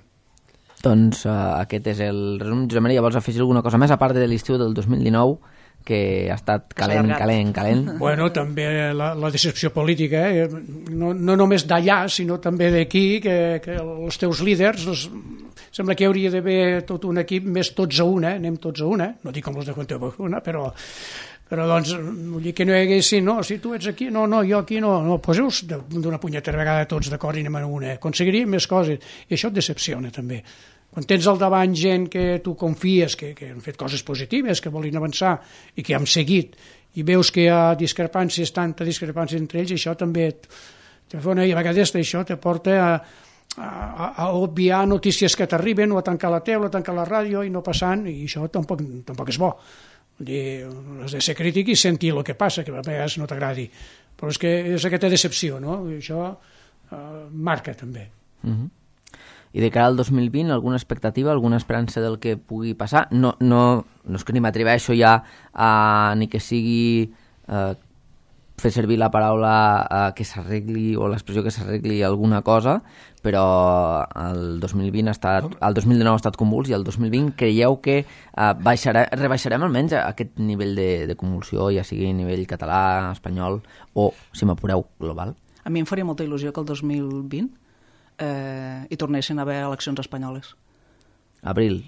S1: Doncs uh, aquest és el resum. Josep Maria, vols afegir alguna cosa més, a part de l'estiu del dos mil dinou, que ha estat calent,
S4: allargat.
S1: calent, calent?
S2: Bueno, també la, la decepció política, eh? no, no només d'allà, sinó també d'aquí, que, que els teus líders, els, sembla que hi hauria d'haver tot un equip més tots a una, anem tots a una, no dic com els de Conte una, però, però doncs, vull dir que no hi haguessin, no, si tu ets aquí, no, no, jo aquí no, no, poseu-vos d'una punyetera vegada tots d'acord i anem a una, aconseguiríem més coses, i això et decepciona també. Quan tens al davant gent que tu confies, que, que han fet coses positives, que volen avançar i que han seguit, i veus que hi ha discrepàncies, tanta discrepància entre ells, i això també et, te fa una, i a vegades això te porta a, a, a obviar notícies que t'arriben, o a tancar la tele, o a tancar la ràdio i no passant, i això tampoc, tampoc és bo. Vull dir, has de ser crític i sentir el que passa, que a vegades no t'agradi. Però és que és aquesta decepció, no? I això eh, marca també.
S1: Uh-huh. I de cara al dos mil vint, alguna expectativa, alguna esperança del que pugui passar? No, no, no és que ni m'atreveixo ja a ni que sigui eh, fer servir la paraula eh, que s'arregli o l'expressió que s'arregli alguna cosa, però el dos mil vint ha estat, el dos mil dinou ha estat convuls i el dos mil vint creieu que eh, baixarà, rebaixarem almenys aquest nivell de, de convulsió, ja sigui a nivell català, espanyol o, si m'apureu, global?
S4: A mi em faria molta il·lusió que el dos mil vint eh, hi tornessin a haver eleccions espanyoles.
S1: Abril,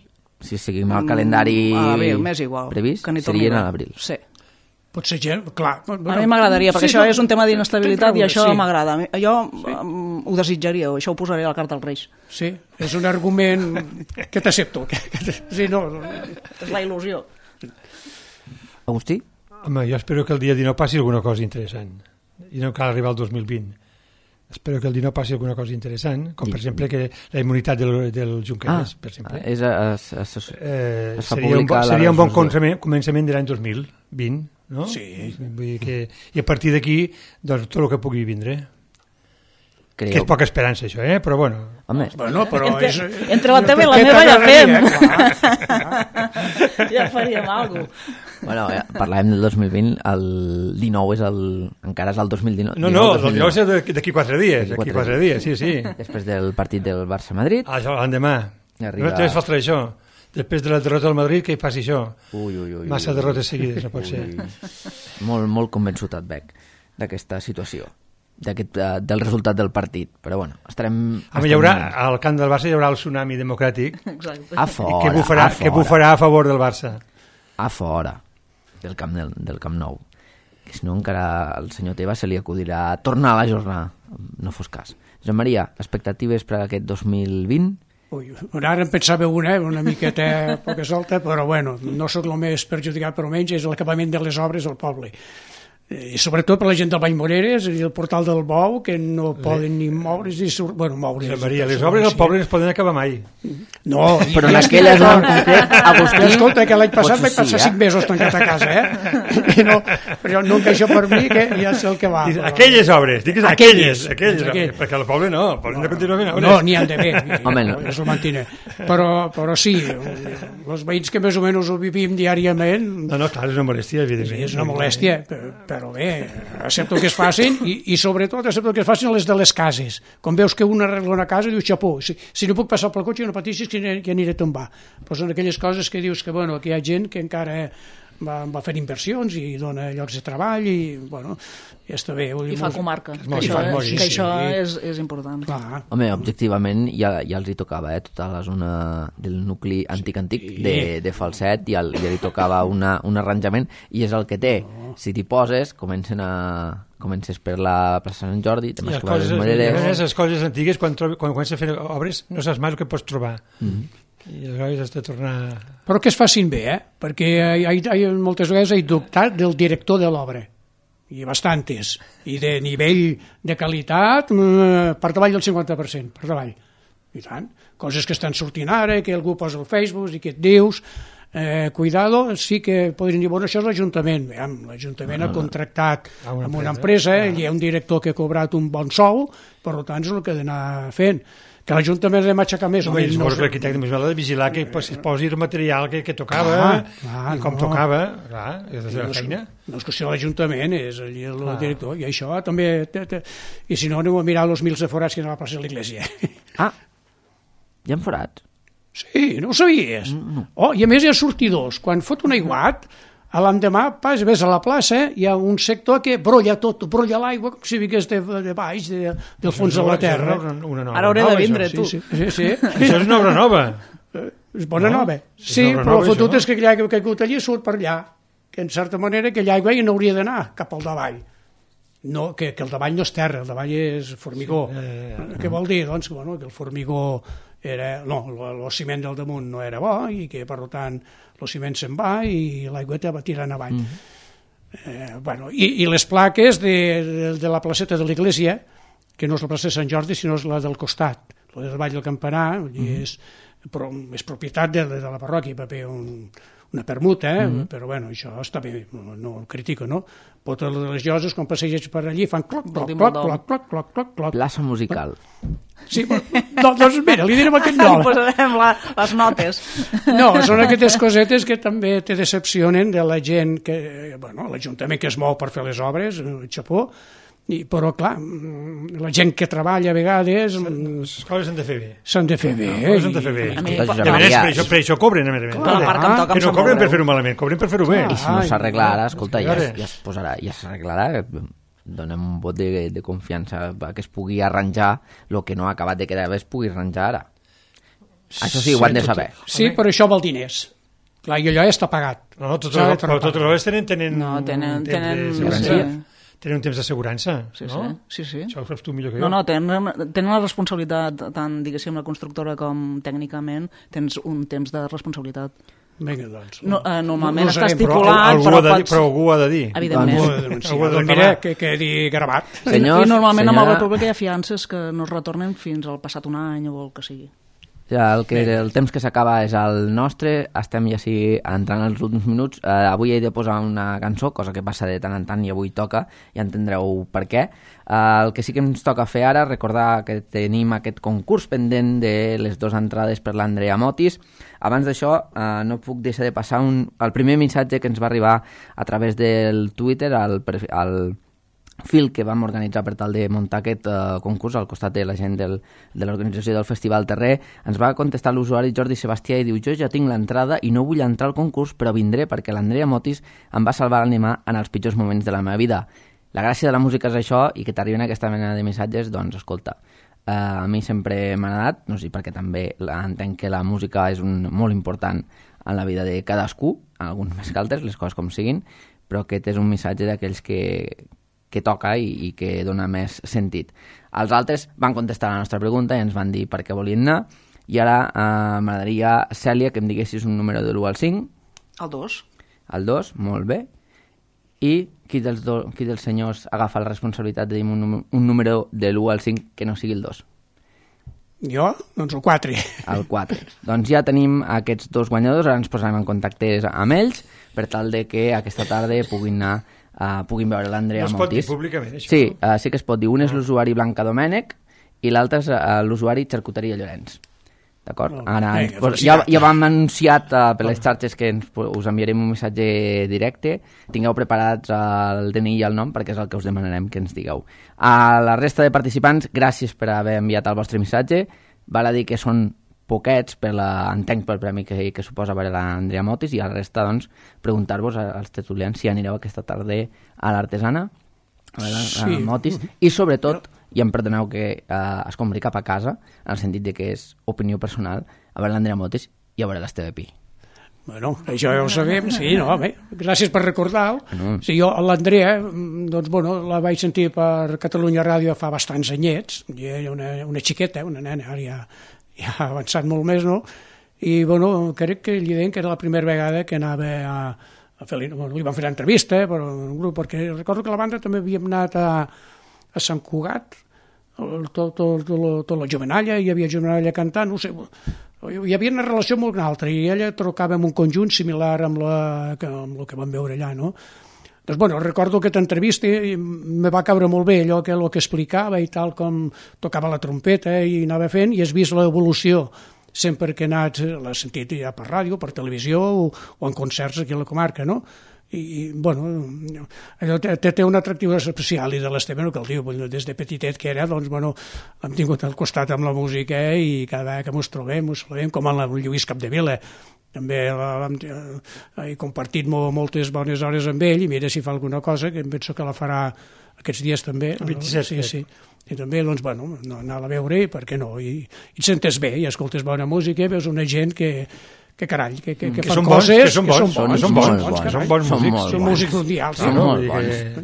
S1: si seguim el calendari
S4: a l'abril, m'és igual,
S1: previst,
S4: que n'hi torni
S1: serien
S4: a
S1: a
S4: haver.
S1: l'abril.
S4: Sí.
S2: Pot ser gent, clar. Bueno,
S4: A mi m'agradaria, perquè
S2: sí,
S4: això
S2: no,
S4: és un tema d'inestabilitat i
S2: t'entraure,
S4: això
S2: sí.
S4: m'agrada. Jo um, ho desitjaria, això ho posaré a la carta als Reis.
S2: Sí, és un argument que t'accepto. Que, que, sí, no, no.
S4: És la il·lusió.
S1: Agustí?
S3: Home, jo espero que el dia dinou passi alguna cosa interessant. I no cal arribar al dos mil vint. Espero que el dinou passi alguna cosa interessant, com per exemple que la immunitat del, del Junqueras,
S1: Ah,
S3: per exemple.
S1: és, es, es, es,
S3: Eh,
S1: es fa
S3: seria un, bo-
S1: pública la
S3: seria un bon
S1: resolució.
S3: començament, començament de l'any dos mil vint, no?
S2: Sí.
S3: Vull dir que, i a partir d'aquí, doncs, tot el que pugui vindre. Que és
S1: Creieu?
S3: poca esperança, això, eh? Però bueno,
S1: Home,
S2: Bueno, però
S4: Entre,
S2: és,
S4: entre la teva i la
S2: què
S4: meva ja
S2: t'agradaria,
S4: fem.
S2: clar.
S4: Ja faríem alguna cosa.
S1: bueno, ja, parlàvem del dos mil vint, el dinou és el... encara és el dos mil dinou.
S3: no, no, el dinou és d'aquí quatre dies,
S1: D'aquí
S3: d'aquí
S1: quatre
S3: quatre dies, sí, sí.
S1: Després del partit del Barça-Madrid.
S3: Ah, això, l'endemà.
S1: Arriba-
S3: No només falta això. Després de la derrota del Madrid, que hi passi això.
S1: Ui, ui, ui.
S3: Massa
S1: ui, ui.
S3: derrotes seguides, no pot ser.
S1: Molt, molt convençut et veig d'aquesta situació, d'aquest, uh, del resultat del partit. Però bueno, estarem...
S3: A mi hi haurà, al camp del Barça hi haurà el tsunami democràtic
S4: Exacte.
S1: A fora,
S3: que bufarà,
S1: a fora.
S3: que bufarà a favor del Barça.
S1: A fora del camp, del, del camp Nou. Que si no encara al senyor Tebas se li acudirà tornar a la jornada. No fos cas. Josep Maria, expectatives per a aquest dos mil vint?
S2: Ui, ara em pensava una, una miqueta poca solta, però bueno, no sóc el més perjudicat, però menys és l'acabament de les obres al poble. I sobretot per la gent del Vallmoreres i el portal del Bou, que no poden ni moure's ni sur... bueno, moure's.
S3: Josep Maria, les obres al poble no es poden acabar mai.
S2: No,
S1: Però en
S2: ja estic
S1: aquella zona en
S2: d'acord.
S1: concret, Agustí...
S2: Escolta, que l'any passat
S1: potser
S2: vaig passar
S1: sí, eh?
S2: cinc mesos tancat a casa, eh? I no, però no em queixo per mi, que ja sé el que va.
S3: Dius,
S2: Però...
S3: aquelles obres, digues
S2: Aquelles,
S3: aquelles, aquelles,
S2: aquelles.
S3: obres, perquè al poble no, al poble no continua fent obres.
S2: No, n'hi han d'haver,
S1: Home, no.
S2: és el mantiner. Però, però sí, els veïns que més o menys ho vivim diàriament,
S3: No, no, clar, és una molèstia, evidentment.
S2: és una molèstia, però, però bé, accepto que es facin i, i sobretot accepto que es facin les de les cases. Quan veus que un arregla una casa, dius, xapó, si, si no puc passar pel cotxe, no pateixis que, aniré- que aniré a tombar. Però són aquelles coses que dius que, bueno, que hi ha gent que encara va, va fer inversions i dona llocs de treball i, bueno, ja està bé. Vull dir,
S4: I fa
S2: molt-
S4: comarca, que
S3: molt-
S4: això,
S3: molt-
S4: és,
S3: sí,
S4: que això
S2: sí.
S4: és, és important.
S2: Clar.
S1: Home, objectivament ja, ja els hi tocava, eh? Tota la zona del nucli antic-antic
S2: Sí.
S1: de, de Falset ja, ja li tocava una, un arranjament i és el que té. Si t'hi poses, comencen a... comences per la plaça Sant Jordi,
S3: I
S1: temes
S3: les
S1: que va a les
S3: coses,
S1: Moreres...
S3: les coses antigues, quan, trobi, quan comences a fer obres, no saps mai el que pots trobar.
S1: Mm.
S3: I aleshores has de tornar...
S2: Però que es facin bé, eh? Perquè hi ha, hi ha, moltes vegades he dubtat del director de l'obra, i bastantes, i de nivell de qualitat per davall del cinquanta per cent, per davall. I tant, coses que estan sortint ara, que algú posa al Facebook i que et dius, eh, cuidado, sí que podrien dir, bueno, això és l'Ajuntament. L'Ajuntament ha contractat amb una empresa, hi ha un director que ha cobrat un bon sou, per tant és el que ha d'anar fent. Que l'Ajuntament ha de m'aixecar més o
S3: no,
S2: menys.
S3: No, l'arquitecte més val de vigilar que es posi el material que, que tocava ah, ah, i com no. tocava, clar, és la seva no, feina.
S2: No és qüestió de l'Ajuntament, és el, el ah. director, i això també... Te, te, I si no, aneu a mirar els mils de forats que hi ha a la plaça de l'Iglésia.
S1: Ah, hi ha forats?
S2: Sí, no ho sabies. No. Oh, i a més hi ha sortidors. Quan fot un aiguat, a l'endemà, pas, ves a la plaça, hi ha un sector que brolla tot, brolla l'aigua, com si vingués de, de baix, de, del fons de la terra.
S3: Una, una nova
S4: Ara hauré de vindre,
S3: això.
S4: tu.
S2: Sí, sí, sí, sí.
S3: Això és una obra nova.
S2: És bona no? nova. Sí, però la fotut és que aquella aigua que ha caigut allí surt per allà, que en certa manera aquella aigua ja no hauria d'anar cap al davall. No, que, que el davall no és terra, el davall és formigó. Sí, eh, eh, Què vol dir? Doncs bueno, que el formigó era... No, el ciment del damunt no era bo i que, per tant, el ciment se'n va i l'aigüeta va tirant avall. Mm. Eh, bueno, i, I les plaques de, de, de la placeta de l'Iglésia, que no és la plaça de Sant Jordi, sinó és la del costat, la del Vall del Campanar, mm. és, però és propietat de, de la parròquia, va fer un, una permuta, eh? mm. però bueno, això està bé, no, no ho critico, no? Potes de les lloses, quan passeges per allí, fan cloc, cloc, cloc, cloc, cloc, cloc, cloc, cloc.
S1: Plaça musical.
S2: Sí, però, doncs mira, li direm aquest nom.
S4: Li posarem la, les notes.
S2: No, són aquestes cosetes que també te decepcionen de la gent que, bueno, l'Ajuntament que es mou per fer les obres, el xapó, i, però clar, la gent que treballa a vegades...
S3: Les coses s'han de fer bé.
S2: S'han de fer bé.
S3: No, s'han de fer bé.
S4: A mi,
S3: per, per, això, per això cobren, a més a més.
S4: Però la part que em toca
S3: que no cobren per fer-ho malament, cobren per fer-ho bé.
S1: I si no s'arregla ara, escolta, ja, ja es posarà, ja s'arreglarà, donem un vot de, de confiança que es pugui arranjar el que no ha acabat de quedar bé, es pugui arranjar ara. Això sí, ho han de saber.
S2: Sí, però això val diners. Clar, i allò ja està pagat.
S3: No, totes les, però totes les tenen... tenen
S4: no, tenen... tenen,
S3: tenen tenen un temps d'assegurança,
S4: sí,
S3: no?
S4: Sí, sí.
S3: Això ho saps tu millor que jo.
S4: No, no, tenen, tenen la responsabilitat, tant, diguéssim, la constructora com tècnicament, tens un temps de responsabilitat.
S2: Vinga, doncs.
S4: No, eh, normalment
S2: no, no
S4: està
S2: sabem,
S4: estipulat,
S3: però,
S4: però,
S3: però,
S4: pots...
S3: però algú ha de dir.
S4: Evidentment.
S2: Algú ha de denunciar. Algú ha de mira, que quedi gravat.
S1: Senyors,
S4: I normalment
S1: senyora...
S4: amb el República hi ha fiances que no es retornen fins al passat un any o el que sigui.
S1: Ja, el, que, el temps que s'acaba és el nostre, estem ja sí entrant als últims minuts. Eh, avui he de posar una cançó, cosa que passa de tant en tant i avui toca, ja entendreu per què. Eh, el que sí que ens toca fer ara, recordar que tenim aquest concurs pendent de les dues entrades per l'Andrea Motis. Abans d'això, eh, no puc deixar de passar un, el primer missatge que ens va arribar a través del Twitter, al, al fil que vam organitzar per tal de muntar aquest uh, concurs al costat de la gent del, de l'organització del Festival Terrer. Ens va contestar l'usuari Jordi Sebastià i diu: jo ja tinc l'entrada i no vull entrar al concurs, però vindré perquè l'Andrea Motis em va salvar l'ànima en els pitjors moments de la meva vida. La gràcia de la música és això, i que t'arriben aquesta mena de missatges, doncs escolta, uh, a mi sempre m'ha agradat, no sé, perquè també entenc que la música és un, molt important en la vida de cadascú, alguns més que altres, les coses com siguin, però aquest és un missatge d'aquells que que toca i, i que dona més sentit. Els altres van contestar la nostra pregunta i ens van dir per què volien anar, i ara eh, m'agradaria, Cèlia, que em diguessis un número de l'u al cinc.
S4: El dos.
S1: El dos, molt bé. I qui dels, do, qui dels senyors agafa la responsabilitat de dir un, un número de l'u al cinc que no sigui el dos?
S2: Jo? Doncs el quatre.
S1: El quatre. Doncs ja tenim aquests dos guanyadors, ara ens posarem en contacte amb ells per tal de que aquesta tarda puguin anar Uh, puguin veure l'Andrea Motis.
S3: No es pot dir públicament, això?
S1: Sí, uh, sí que es pot dir. Un és l'usuari Blanca Domènech i l'altre és uh, l'usuari Xarcuteria Llorenç. D'acord?
S2: Oh,
S1: Ara,
S2: vinga,
S1: pues, ja, ja vam anunciat uh, per les xarxes que ens, us enviarem un missatge directe. Tingueu preparats el D N I i el nom perquè és el que us demanarem que ens digueu. A la resta de participants, gràcies per haver enviat el vostre missatge. Val a dir que són poquets per la, entenc pel premi que, que suposa veure l'Andrea Motis, i a la resta, doncs, preguntar-vos als tertulians si anireu aquesta tarda a l'Artesana, a veure sí. la Motis, i sobretot, i em perdoneu que eh, es compri cap a casa, en el sentit de que és opinió personal, a veure l'Andrea Motis i a veure l'Esteve Pi.
S2: Bueno, això ja ho sabem, sí, no, bé, gràcies per recordar-ho. Bueno. Sí, jo, l'Andrea, doncs, bueno, la vaig sentir per Catalunya Ràdio fa bastants anyets, i era una, una xiqueta, una nena, ara ja, ja ha avançat molt més, no? i bueno, crec que li deien que era la primera vegada que anava a, a fer, bueno, li van fer l'entrevista, eh, però un grup, perquè recordo que la banda també havíem anat a, a Sant Cugat, el, tot, tot, tot, tot la Jovenalla, hi havia Jovenalla cantant, no sé, hi havia una relació molt altra, i ella tocava en un conjunt similar amb, la, amb el que vam veure allà, no? Doncs, bueno, recordo aquesta entrevista i me va caure molt bé allò que, el que explicava i tal, com tocava la trompeta i anava fent, i has vist l'evolució sempre que he anat, l'has sentit ja per ràdio, per televisió o, o en concerts aquí a la comarca, no? I, i bueno, allò té, té un atractiu especial, i de l'Esteve no cal dir, des de petitet que era, doncs, bueno, hem tingut al costat amb la música, eh, i cada vegada que ens trobem, ens trobem com amb el Lluís Capdevila, també he compartit moltes bones hores amb ell, i mira si fa alguna cosa, que em penso que la farà aquests dies també.
S3: El vint-i-set.
S2: Sí, sí. I també, doncs, bueno, anar a veure, i per què no? I, i et sentes bé, i escoltes bona música, veus una gent que, que carall, que, que, que, que fan
S3: són bons,
S2: coses...
S3: que són bons, que són bons,
S2: són bons,
S3: bons,
S2: bons,
S3: són bons músics.
S2: Són músics mundials.
S1: Són
S2: No?
S1: molt bons.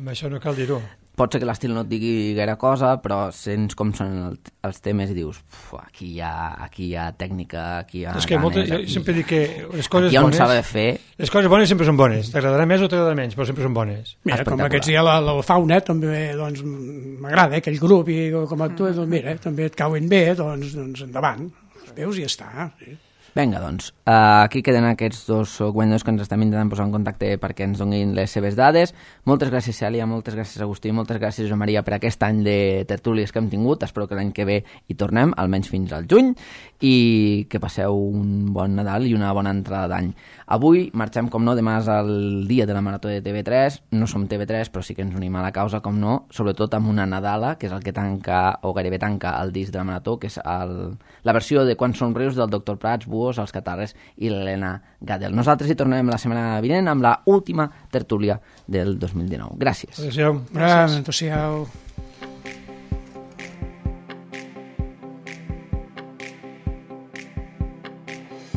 S3: Amb això no cal dir-ho.
S1: Pot ser que l'estil no et digui gaire cosa, però sents com són el, els temes i dius, aquí hi ha, aquí hi ha tècnica, aquí hi ha
S3: És que
S1: ganes,
S3: moltes, jo
S1: aquí,
S3: sempre dic que les coses
S1: aquí on
S3: bones...
S1: s'ha de fer...
S3: Les coses bones sempre són bones. T'agradarà més o t'agradarà menys, però sempre són bones.
S2: Mira, com aquests dies la, la fauna també, doncs, m'agrada, aquell grup, i com actua, doncs mira, també et cauen bé, doncs, doncs endavant. Els veus i ja està. Sí.
S1: Vinga, doncs, uh, aquí queden aquests dos guanyadors que ens estem intentant posar en contacte perquè ens donin les seves dades. Moltes gràcies, Cèlia, moltes gràcies, Agustí, moltes gràcies, Josep Maria, per aquest any de tertúlies que hem tingut. Espero que l'any que ve hi tornem, almenys fins al juny, i que passeu un bon Nadal i una bona entrada d'any. Avui marxem, com no, demà és el dia de la Marató de T V tres. No som T V tres, però sí que ens unim a la causa, com no, sobretot amb una Nadala, que és el que tanca, o gairebé tanca, el disc de la Marató, que és el, la versió de Quan som rius del doctor Prats, Buos, els Catarres i l'Helena Gadel. Nosaltres hi tornem la setmana vinent amb la última tertúlia del dos mil dinou. Gràcies.
S3: Adéu-siau.
S2: Gràcies. Adéu-siau.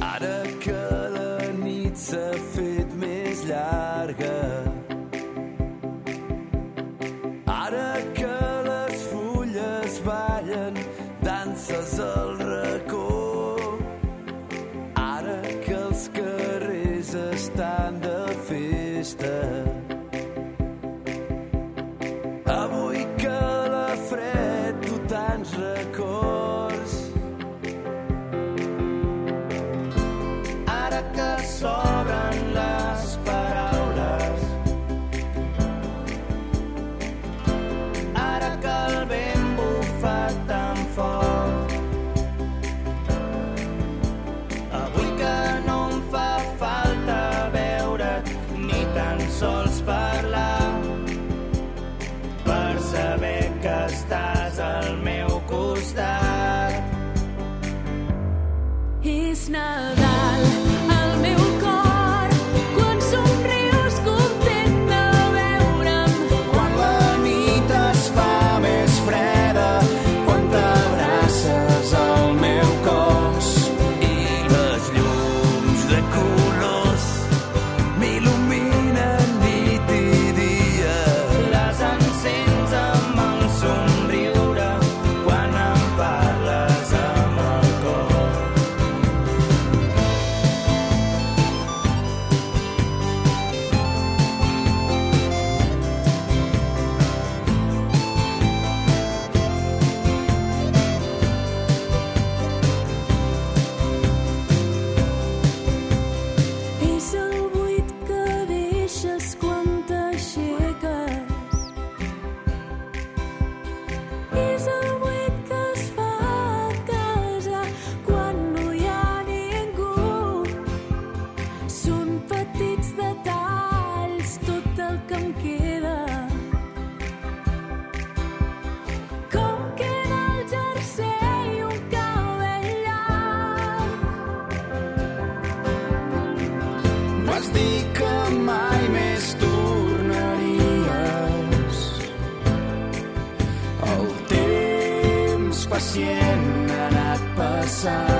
S5: Ara que la nit s'ha fet més llarga, ara que les fulles ballen danses al racó, ara que els carrers estan de festa, avui que la fred tu tants records, ara que s'obren les paraules, ara que el vent bufa tan fort, avui que no em fa falta veure't ni tan sols parlar per saber que estàs al meu costat.
S6: És Nadal al meu cor, quan somrius content de veure'm,
S5: Quan la nit es fa més freda, quan t'abraces al meu cos i les llums de colors m'il·luminen nit i dia, les encens amb el somriure quan em parles amb el cor.
S6: és el buit que deixes quan t'aixeques, és el buit que es fa a casa quan no hi ha ningú, són petits detalls tot el que em queda, com queda el jersei i un cabell llarg.
S5: Vas dir que mai més tornaries. El temps pacient ha anat passant.